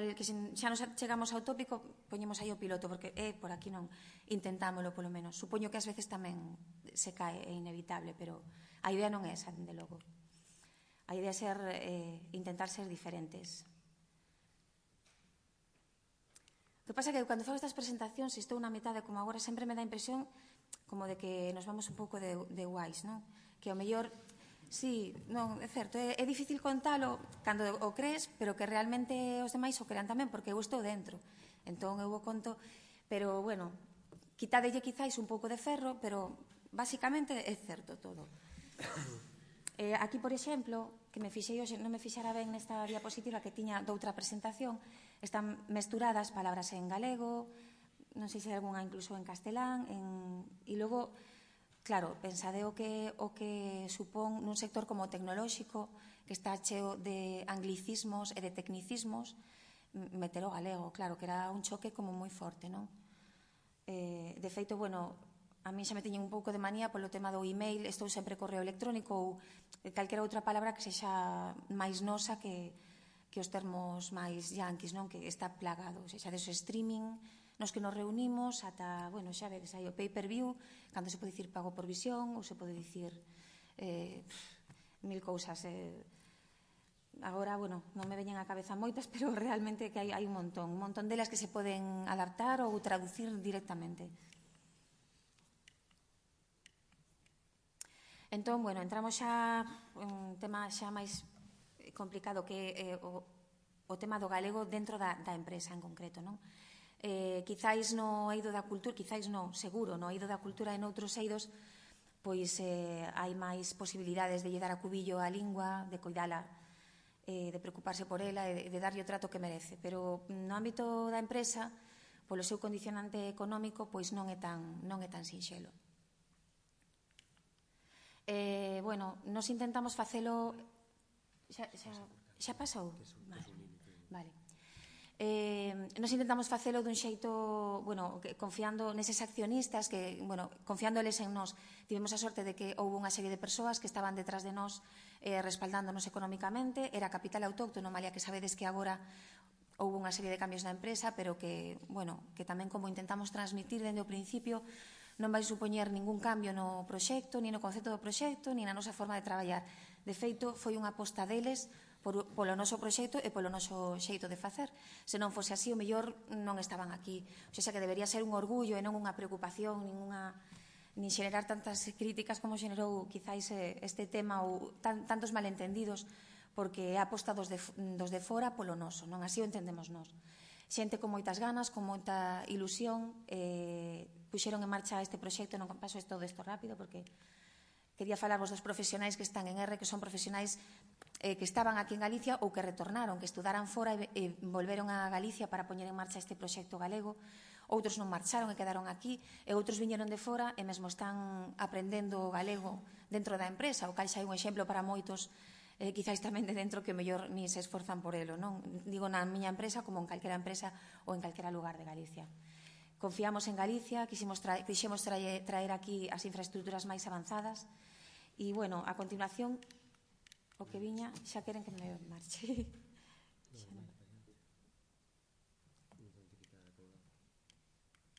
xa nos chegamos ao tópico poñemos aí o piloto, porque por aquí non, intentámolo polo menos. Supoño que ás veces tamén se cae, é inevitable, pero a idea non é esa, dende logo. A idea é intentar ser diferentes. O que pasa é que cando fago estas presentacións, se estou na metade como agora, sempre me dá a impresión como de que nos vamos un pouco de guais, non? Que ao mellor... Sí, non, é certo, é difícil contalo cando o crees, pero que realmente os demais o crean tamén, porque eu estou dentro. Entón, eu o conto, pero, bueno, quitadelle quizáis un pouco de ferro, pero, basicamente, é certo todo. Aquí, por exemplo, que me fixei hoxe, non me fixara ben nesta diapositiva que tiña doutra presentación, están mesturadas palabras en galego, non sei se hai algunha incluso en castelán, e logo... Claro, pensade o que supón nun sector como o tecnolóxico, que está cheo de anglicismos e de tecnicismos, meter o galego, claro, que era un choque como moi forte, non? De feito, bueno, a mí xa me teñen un pouco de manía polo tema do email, estou sempre correo electrónico ou calquera outra palabra que sexa máis nosa que os termos máis yanquis, non? Que está plagado, xa deso streaming, nos que nos reunimos ata, bueno, xa vedes aí o pay-per-view, cando se pode dicir pago por visión ou se pode dicir mil cousas. agora, bueno, non me veñen á cabeza moitas, pero realmente que hai un montón delas que se poden adaptar ou traducir directamente. Entón, bueno, entramos xa un tema xa máis complicado que é o tema do galego dentro da empresa en concreto, non? Quizáis no eido da cultura, quizáis non, seguro, no eido da cultura e noutros eidos, pois hai máis posibilidades de lle dar a cubillo á lingua, de coidala, de preocuparse por ela, de darlle o trato que merece. Pero no ámbito da empresa, polo seu condicionante económico, pois non é tan sinxelo. Bueno, nos intentamos facelo... Xa pasou? Vale. Nos intentamos facelo dun xeito, bueno, confiando neses accionistas, que, bueno, confiándoles en nós. Tivemos a sorte de que houve unha serie de persoas que estaban detrás de nós respaldándonos económicamente. Era capital autóctono, malia que sabedes que agora houve unha serie de cambios na empresa, pero que, bueno, que tamén como intentamos transmitir dende o principio, non vai supoñer ningún cambio no proxecto, ni no concepto do proxecto, ni na nosa forma de traballar. De feito, foi unha aposta deles polo noso proxecto e polo noso xeito de facer. Se non fose así, o mellor non estaban aquí. O sea, que debería ser un orgullo e non unha preocupación, nin xenerar tantas críticas como xenerou quizáis este tema ou tantos malentendidos, porque é a aposta dos de fora polo noso, non? Así o entendemos nós. Xente con moitas ganas, con moita ilusión, puxeron en marcha este proxecto. Non paso todo isto rápido porque quería falarvos dos profesionais que están en R, que son profesionais que estaban aquí en Galicia ou que retornaron, que estudaran fora e volveron a Galicia para poñer en marcha este proxecto galego. Outros non marcharon e quedaron aquí, e outros viñeron de fora e mesmo están aprendendo galego dentro da empresa, o cal xa é un exemplo para moitos, quizáis tamén de dentro, que o mellor ni se esforzan por elo, non? Digo na miña empresa como en calquera empresa ou en calquera lugar de Galicia. Confiamos en Galicia, quixemos traer aquí as infraestructuras máis avanzadas e, bueno, a continuación, o que viña, xa queren que me marche.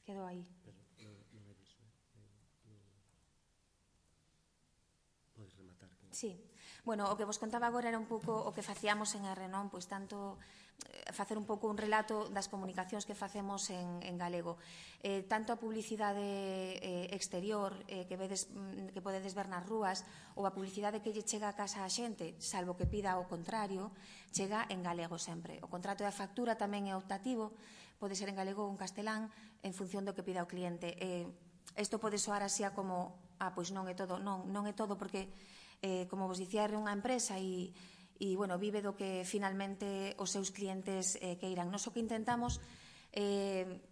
Quedo aí. Podes rematar. Sí. Bueno, o que vos contaba agora era un pouco o que facíamos en R, non? Pois tanto facer un pouco un relato das comunicacións que facemos en galego. Tanto a publicidade exterior que podedes ver nas rúas, ou a publicidade que lle chega a casa a xente, salvo que pida o contrario, chega en galego sempre. O contrato da factura tamén é optativo, pode ser en galego ou en castelán, en función do que pida o cliente. Isto pode soar así como, pois non é todo. Non é todo, porque, como vos dicía, é unha empresa e bueno, vive do que finalmente os seus clientes queiran. Nos o que intentamos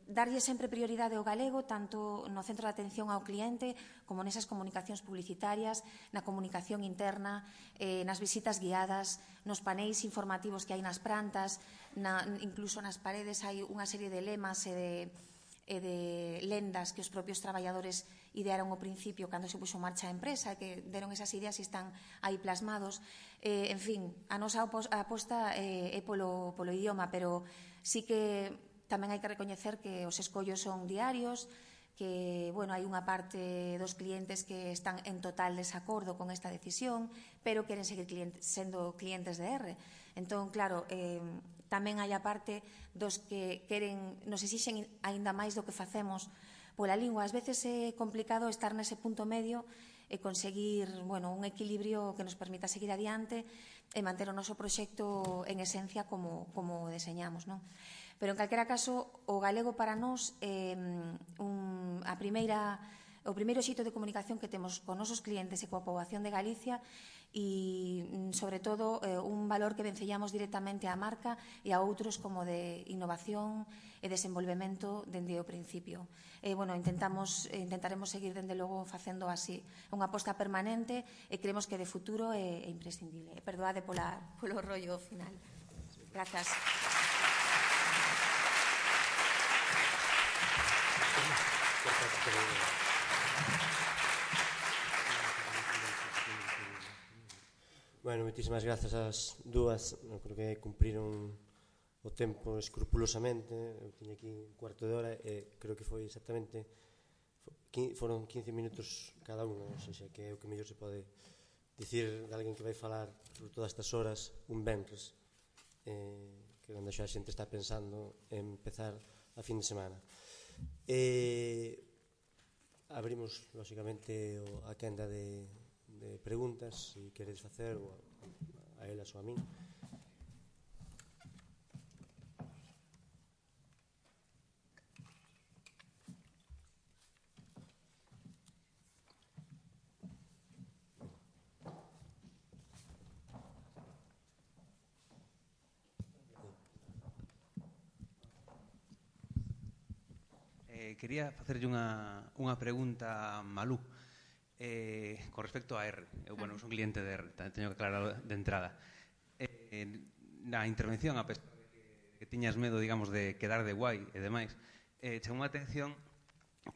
darlle sempre prioridade ao galego, tanto no centro de atención ao cliente como nesas comunicacións publicitarias, na comunicación interna, nas visitas guiadas, nos paneis informativos que hai nas prantas, incluso nas paredes hai unha serie de lemas e de lendas que os propios traballadores idearon ao principio cando se puxo en marcha a empresa, que deron esas ideas e están aí plasmados. En fin, a nosa aposta é polo idioma, pero sí que tamén hai que recoñecer que os escollos son diarios, que, bueno, hai unha parte dos clientes que están en total desacordo con esta decisión, pero queren seguir sendo clientes de R. Entón, claro, tamén hai a parte dos que nos exixen aínda máis do que facemos pola lingua. Ás veces é complicado estar nese punto medio e conseguir, bueno, un equilibrio que nos permita seguir adiante e manter o noso proxecto en esencia como deseñamos, non? Pero, en calquera caso, o galego para nós é o primeiro xeito de comunicación que temos con nosos clientes e coa poboación de Galicia e, sobre todo, un valor que vencellamos directamente á marca e a outros como de innovación e desenvolvemento dende o principio. Bueno, intentaremos seguir, dende logo, facendo así. É unha aposta permanente e creemos que de futuro é imprescindible. Perdoade polo rollo final. Grazas. Bueno, moitísimas grazas ás dúas. Creo que cumpriron o tempo escrupulosamente. Eu tiña aquí un cuarto de hora e creo que foi exactamente foron 15 minutos cada unha, ou seja, que é o que mellor se pode dicir de alguén que vai falar por todas estas horas un venres, que cando xa a xente está pensando en empezar a fin de semana. Abrimos, lóxicamente, a quenda de preguntas, se queredes facer a elas ou a min. Quería facerlle unha pregunta a Malú con respecto a R. Eu son cliente de R, teño que aclarar de entrada. Na intervención, a pesar de que tiñas medo, digamos, de quedar de guai e demais, chamou a atención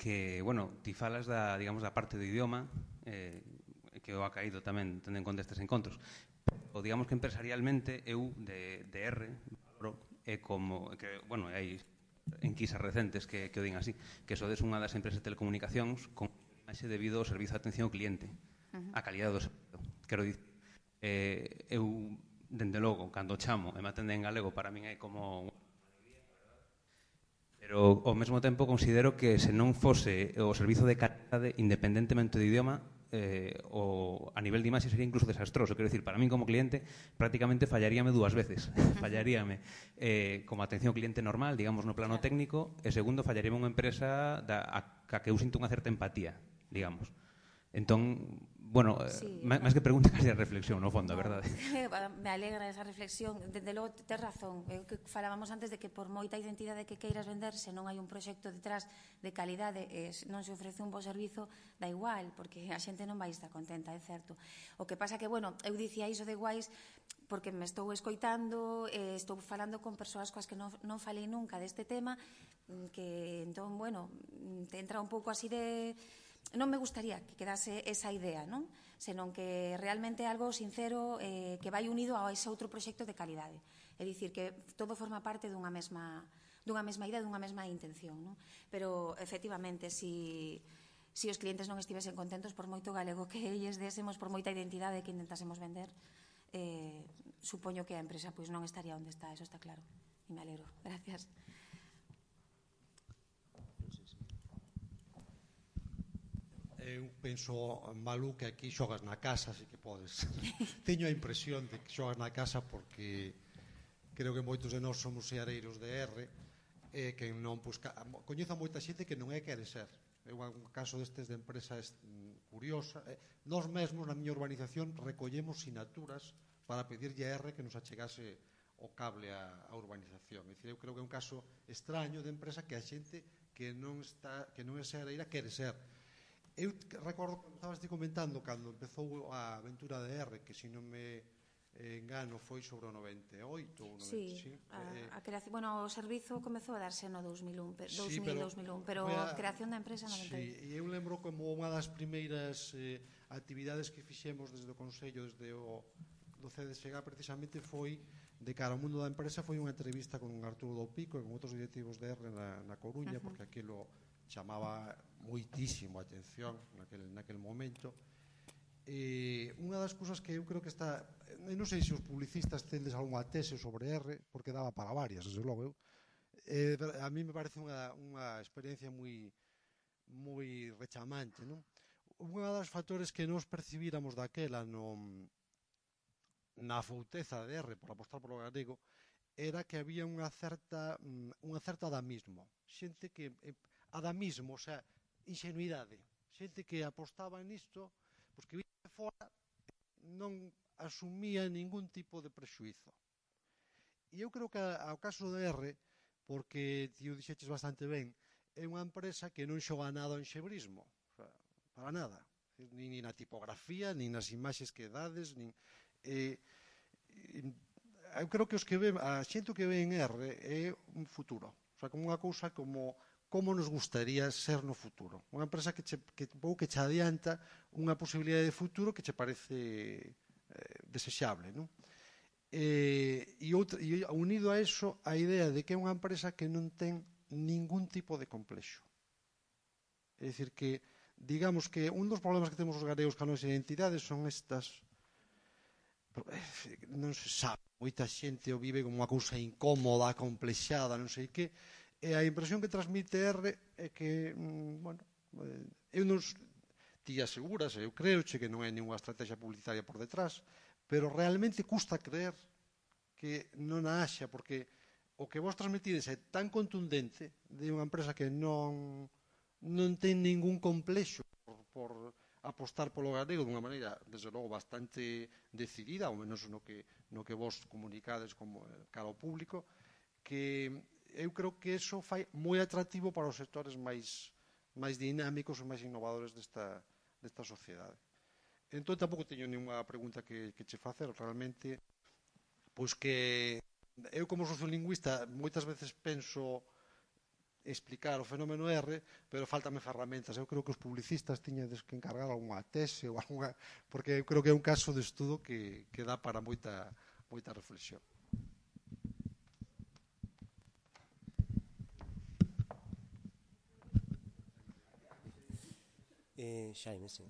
que, ti falas da parte do idioma, que eu ha caído tamén tendo en conta estes encontros. Pero, digamos que empresarialmente, eu de R, como, que, hai enquisas recentes que o din así, que sodes unha das empresas de telecomunicacións con imaxe debido ao servizo de atención ao cliente, a calidade do servizo. Quero dicir, eu, dende logo, cando chamo e me atenden en galego, para min é como... Pero, ao mesmo tempo, considero que se non fose o servizo de calidade, independentemente do idioma, a nivel de imaxe sería incluso desastroso. Quero dicir, para min como cliente prácticamente fallaríame dúas veces. Fallaríame como atención ao cliente normal, digamos, no plano técnico, e segundo, fallaríame unha empresa a que eu sinto unha certa empatía, digamos. Entón, máis que pregunta, casi a reflexión, no fondo, a verdade. Me alegra esa reflexión. Dende logo, tes razón. Que falábamos antes de que por moita identidade que queiras vender, se non hai un proxecto detrás de calidade, non se ofrece un bo servizo, da igual, porque a xente non vai estar contenta, é certo. O que pasa que, eu dicía iso de guais porque me estou escoitando, estou falando con persoas coas que non falei nunca deste tema, que, entón, te entra un pouco así de... Non me gustaría que quedase esa idea, non? Senón que realmente é algo sincero que vai unido a ese outro proxecto de calidade. É dicir, que todo forma parte dunha mesma idea, dunha mesma intención, non? Pero, efectivamente, se os clientes non estivesen contentos por moito galego que elles désemos, por moita identidade que intentásemos vender, supoño que a empresa non estaría onde está, eso está claro. E me alegro. Gracias. Eu penso, Malú, que aquí xogas na casa, así que podes. Teño a impresión de que xogas na casa porque creo que moitos de nós somos seareiros de R, que non coñezo a moita xente que non é quere ser. É un caso destes de empresa curiosa. Nós mesmos, na miña urbanización, recollemos sinaturas para pedirlle a R que nos achegase o cable á urbanización. É dicir, eu creo que é un caso extraño de empresa que a xente que non é seareira quere ser. Eu recordo, como estabas ti comentando, cando empezou a aventura de R, que se non me engano foi sobre o 98 ou 95. Sí, a creación, o servizo comezou a darse no 2001, pero a creación da empresa no 98. Sí, e eu lembro como unha das primeiras actividades que fixemos desde o Consello, desde do CDSG, precisamente foi de cara ao mundo da empresa, foi unha entrevista con Arturo do Pico e con outros directivos de R na Coruña, porque aquilo chamaba moitísimo a atención naquele momento. Unha das cousas que eu creo que está, non sei se os publicistas tendes algunha tese sobre R, porque daba para varias, desde logo. A mí me parece unha experiencia moi rechamante, non? Unha das factores que nos percibíramos daquela na fouteza de R por apostar polo galego era que había unha certa adamismo, xente que adamismo, o sea, ingenuidade, xente que apostaba nisto, pois que viste fora non asumía ningún tipo de prexuízo. E eu creo que ao caso de R, porque ti o dixeches bastante ben, é unha empresa que non xoga nada ao enxebrismo, para nada, nin na tipografía, nin nas imaxes que dades, eu creo que a xente que ve en R é un futuro, o sea, como unha cousa como nos gustaría ser no futuro. Unha empresa que che adianta unha posibilidade de futuro que che parece desexable, non? E unido a eso, a idea de que é unha empresa que non ten ningún tipo de complexo. É dicir que, digamos que un dos problemas que temos os galegos ca nosa identidade son estas non se sabe, moita xente o vive como unha cousa incómoda, complexada, non sei que, e a impresión que transmite R é que, bueno, eu non ti aseguras, eu creo que non hai ninguna estrategia publicitaria por detrás, pero realmente custa creer que non a haxa, porque o que vos transmitides é tan contundente de unha empresa que non ten ningún complexo por apostar polo galego dunha maneira, desde logo, bastante decidida, ao menos no que vos comunicades como cara ao público, que eu creo que eso fai moi atractivo para os sectores máis dinámicos e máis innovadores desta sociedade. Entón, tampouco teño ninguna pregunta que che facer, realmente, pois que eu como sociolingüista moitas veces penso explicar o fenómeno R, pero faltame ferramentas. Eu creo que os publicistas tiñedes que encargar algunha tese ou algunha, porque eu creo que é un caso de estudo que dá para moita reflexión. Xaime, sí.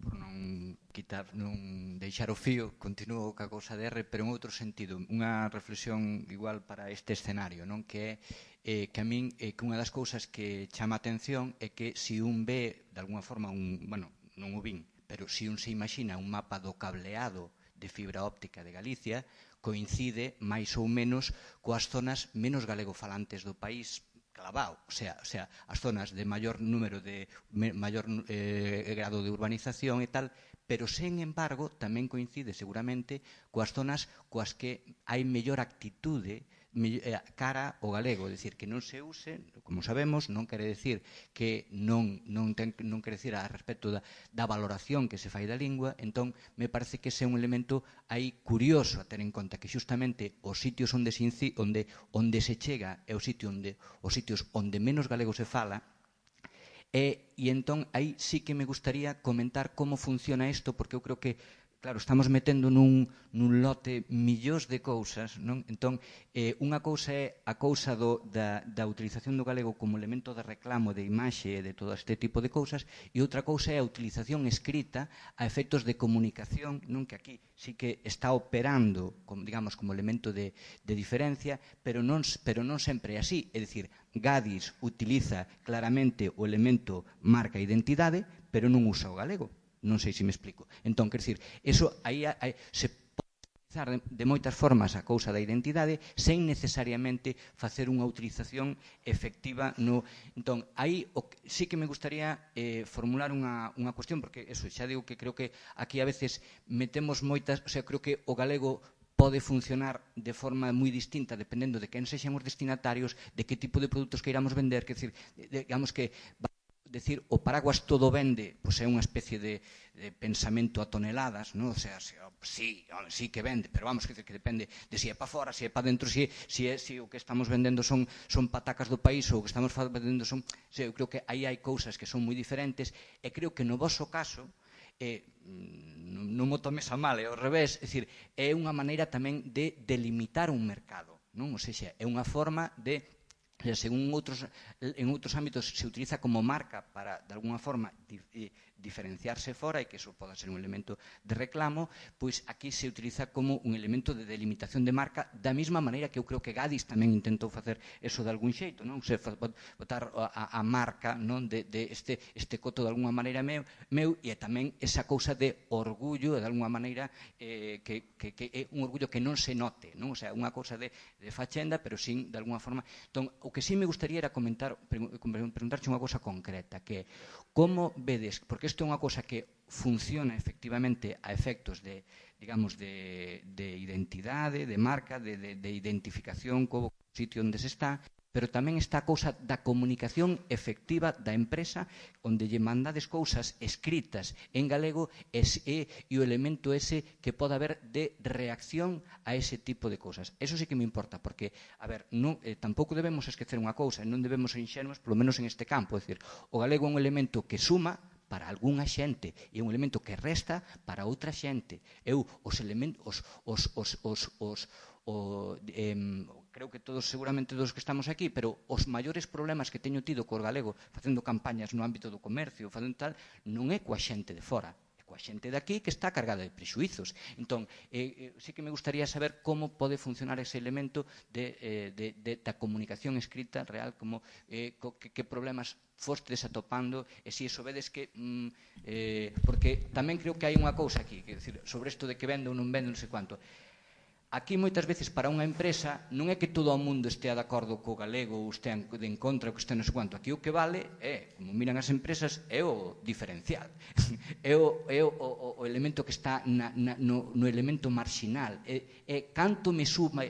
Por non deixar o fío, continuo ca cousa de R, pero en outro sentido, unha reflexión igual para este escenario, non? Que é que a min que unha das cousas que chama a atención é que se un ve, de alguna forma, bueno, non o vin, pero se un se imagina un mapa do cableado de fibra óptica de Galicia, coincide máis ou menos coas zonas menos galegofalantes do país clavado, o sea, as zonas de maior número de maior grado de urbanización e tal, pero, sen embargo, tamén coincide seguramente coas zonas coas que hai mellor actitude cara ao galego, é dicir, que non se use, como sabemos, non quere decir que non quere decir a respecto da valoración que se fai da lingua. Entón, me parece que ese é un elemento aí curioso a ter en conta, que xustamente os sitios onde se chega é os sitios onde menos galego se fala, e entón aí sí que me gustaría comentar como funciona isto, porque eu creo que, claro, estamos metendo nun lote millóns de cousas, non? Entón, unha cousa é a cousa da utilización do galego como elemento de reclamo, de imaxe e de todo este tipo de cousas, e outra cousa é a utilización escrita a efectos de comunicación, non? Que aquí sí que está operando, digamos, como elemento de diferencia, pero non sempre é así. É dicir, Gadis utiliza claramente o elemento marca identidade, pero non usa o galego. Non sei se me explico. Entón, quer dizer, eso aí se pode utilizar de moitas formas a cousa da identidade sen necesariamente facer unha utilización efectiva no... Entón, aí sí que me gustaría formular unha cuestión, porque eso, xa digo que creo que aquí a veces metemos moitas... O sea, creo que o galego pode funcionar de forma moi distinta dependendo de quen sexan os destinatarios, de que tipo de produtos queiramos vender, quer dizer, digamos que... decir, o paraguas todo vende, pois é unha especie de pensamento a toneladas, non? O sea, sí que vende, pero vamos, que depende de se é para fora, se é para dentro, se o que estamos vendendo son patacas do país ou o que estamos vendendo son... Eu creo que aí hai cousas que son moi diferentes e creo que no vosso caso non mo tomes a mal, é ao revés, é dicir, é unha maneira tamén de delimitar un mercado, non? O sea, é unha forma de... Según en outros ámbitos se utiliza como marca para, de alguna forma, diferenciarse fora e que eso poda ser un elemento de reclamo, pois aquí se utiliza como un elemento de delimitación de marca da mesma maneira que eu creo que Gadis tamén intentou facer eso de algún xeito, non? Se botar a marca, non? De este coto de alguna maneira meu e tamén esa cousa de orgullo, de alguna maneira que é un orgullo que non se note, non? O sea, unha cousa de fachenda, pero sin, de alguna forma... Entón, o que sí me gustaría era preguntarche unha cousa concreta, que como vedes, porque isto é unha cousa que funciona efectivamente a efectos de, digamos, de identidade, de marca, de identificación co sitio onde se está, pero tamén está a cousa da comunicación efectiva da empresa onde lle mandades cousas escritas en galego e o elemento ese que pode haber de reacción a ese tipo de cousas. Eso sí que me importa, porque, a ver, tampouco debemos esquecer unha cousa, non debemos ser inxenuos, polo menos en este campo, é dicir, o galego é un elemento que suma para algunha xente e un elemento que resta para outra xente. Os elementos, creo que todos, seguramente dos que estamos aquí, pero os maiores problemas que teño tido co galego facendo campañas no ámbito do comercio, facendo tal, non é coa xente de fora, coa xente de aquí que está cargada de prexuizos. Entón, sí que me gustaría saber como pode funcionar ese elemento da comunicación escrita real, como que problemas fostes atopando, e se iso vedes que porque tamén creo que hai unha cousa aquí, que decir, sobre isto de que vende ou non vende, non sei quanto. Aquí moitas veces para unha empresa non é que todo o mundo estea de acordo co galego ou estea en contra ou que estea non sei quanto. Aquí o que vale é, como miran as empresas, é o diferencial. É o elemento que está no elemento marxinal. É canto me suma...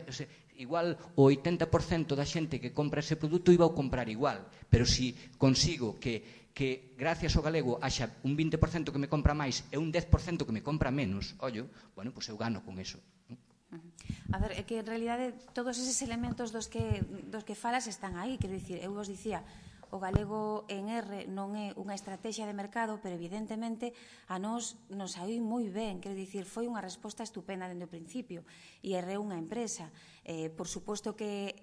Igual o 80% da xente que compra ese produto iba a comprar igual, pero si consigo que gracias ao galego haxa un 20% que me compra máis e un 10% que me compra menos, ollo, bueno, pois eu gano con eso. A ver, é que en realidade todos eses elementos dos que falas están aí, quero dicir, eu vos dicía, o galego en R non é unha estrategia de mercado, pero evidentemente a nos saíu moi ben, quero dicir, foi unha resposta estupenda dende o principio, e R é unha empresa, por suposto que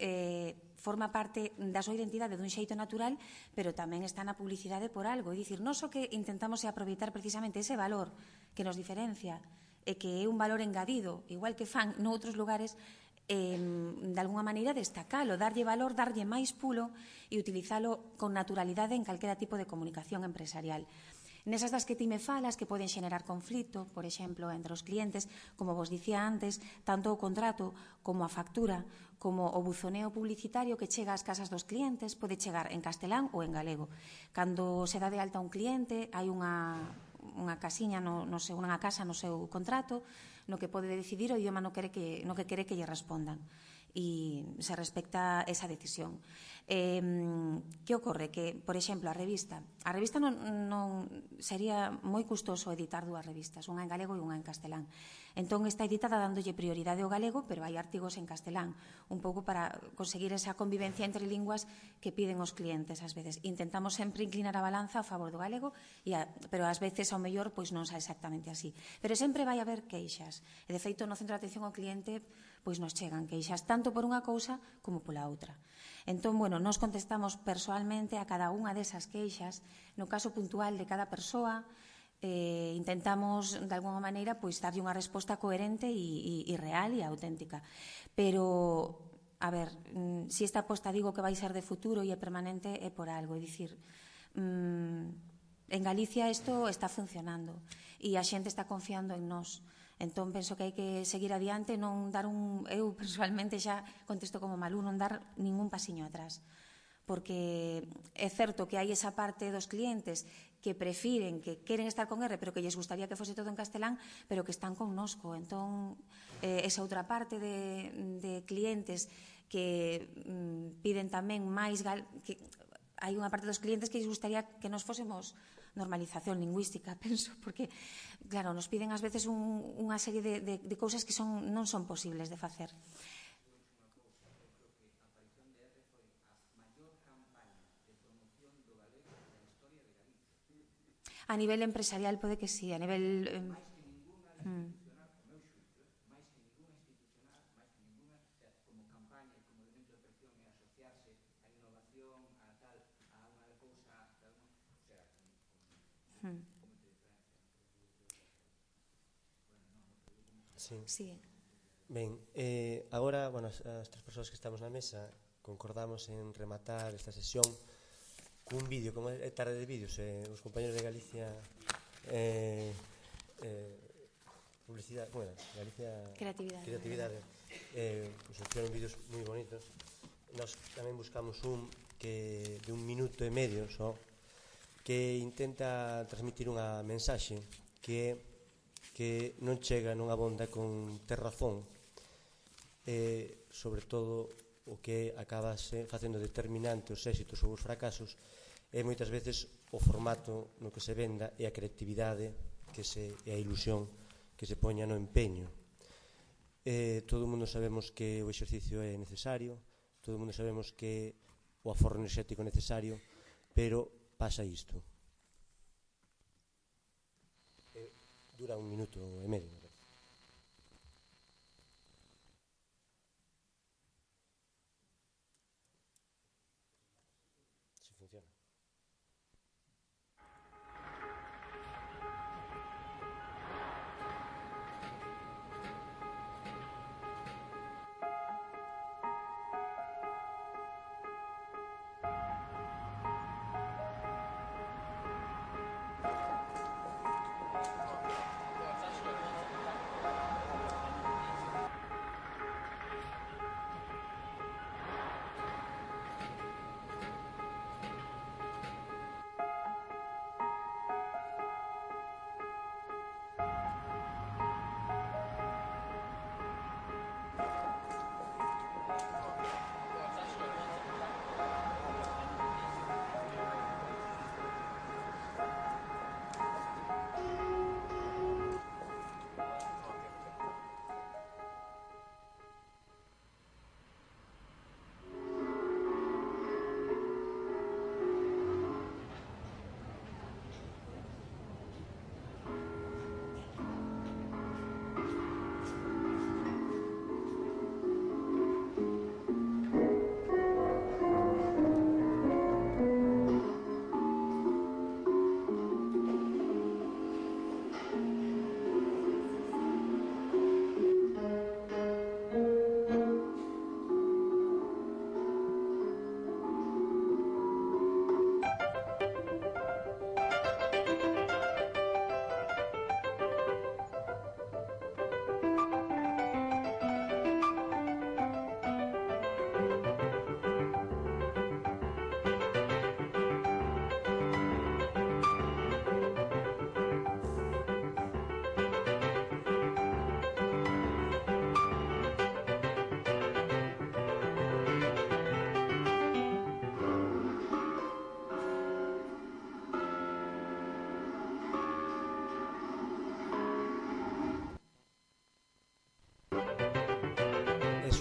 forma parte da súa identidade dun xeito natural, pero tamén está na publicidade por algo, é dicir, non só que intentamos aproveitar precisamente ese valor que nos diferencia, e que é un valor engadido, igual que fan noutros lugares, de alguna maneira destacalo, darlle valor, darlle máis pulo e utilizalo con naturalidade en calquera tipo de comunicación empresarial. Nesas das que ti me falas, que poden xenerar conflito, por exemplo, entre os clientes, como vos dicía antes, tanto o contrato como a factura, como o buzoneo publicitario que chega ás casas dos clientes, pode chegar en castelán ou en galego. Cando se dá de alta un cliente, hai unha casiña unha casa no seu contrato no que pode decidir o idioma no que quere que lle respondan, e se respecta esa decisión. Que ocorre? Que, por exemplo, a revista non sería moi custoso editar dúas revistas, unha en galego e unha en castelán. Entón está editada dándolle prioridade ao galego, pero hai artigos en castelán, un pouco para conseguir esa convivencia entre linguas que piden os clientes ás veces. Intentamos sempre inclinar a balanza a favor do galego, pero ás veces ao mellor pois non xa exactamente así. Pero sempre vai haber queixas. E de feito no centro de atención ao cliente pois nos chegan queixas tanto por unha cousa como pola outra. Entón, bueno, nos contestamos persoalmente a cada unha desas queixas, no caso puntual de cada persoa, intentamos, de alguna maneira, pois darlle unha resposta coherente e real e auténtica. Pero, a ver, se esta aposta digo que vai ser de futuro e é permanente, é por algo, é dicir, en Galicia isto está funcionando e a xente está confiando en nós. Entón, penso que hai que seguir adiante, non dar eu, personalmente, xa contesto como Malú, non dar ningún pasiño atrás. Porque é certo que hai esa parte dos clientes que prefiren, que queren estar con R, pero que lles gustaría que fose todo en castelán, pero que están connosco. Entón, esa outra parte de clientes que piden tamén máis... Hai unha parte dos clientes que lles gustaría que nos fósemos normalización lingüística, penso, porque, claro, nos piden ás veces unha serie de cousas que non son posibles de facer. A nivel empresarial pode que sí, a nivel... Sí. Ben, agora, bueno, as tres persoas que estamos na mesa concordamos en rematar esta sesión cun vídeo, como é tarde de vídeos, os compañeros de Galicia publicidade, bueno, Galicia Creatividade, pues hicieron vídeos moi bonitos. Nos tamén buscamos un que de 1 minuto e medio só, que intenta transmitir unha mensaxe que non chega, non abonda con ter razón, sobre todo o que acabase facendo determinante os éxitos ou os fracasos é moitas veces o formato no que se venda e a creatividade e a ilusión que se poña no empeño. Todo o mundo sabemos que o exercicio é necesario, todo o mundo sabemos que o aforro enerxético é necesario, pero pasa isto. Dura 1 minuto e medio.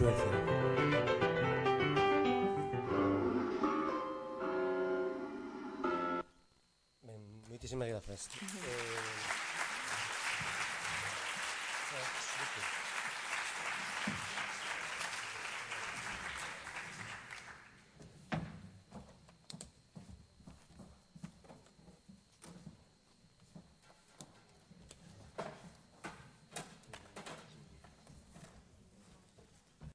Suecia. Ben, moitísimas grazas.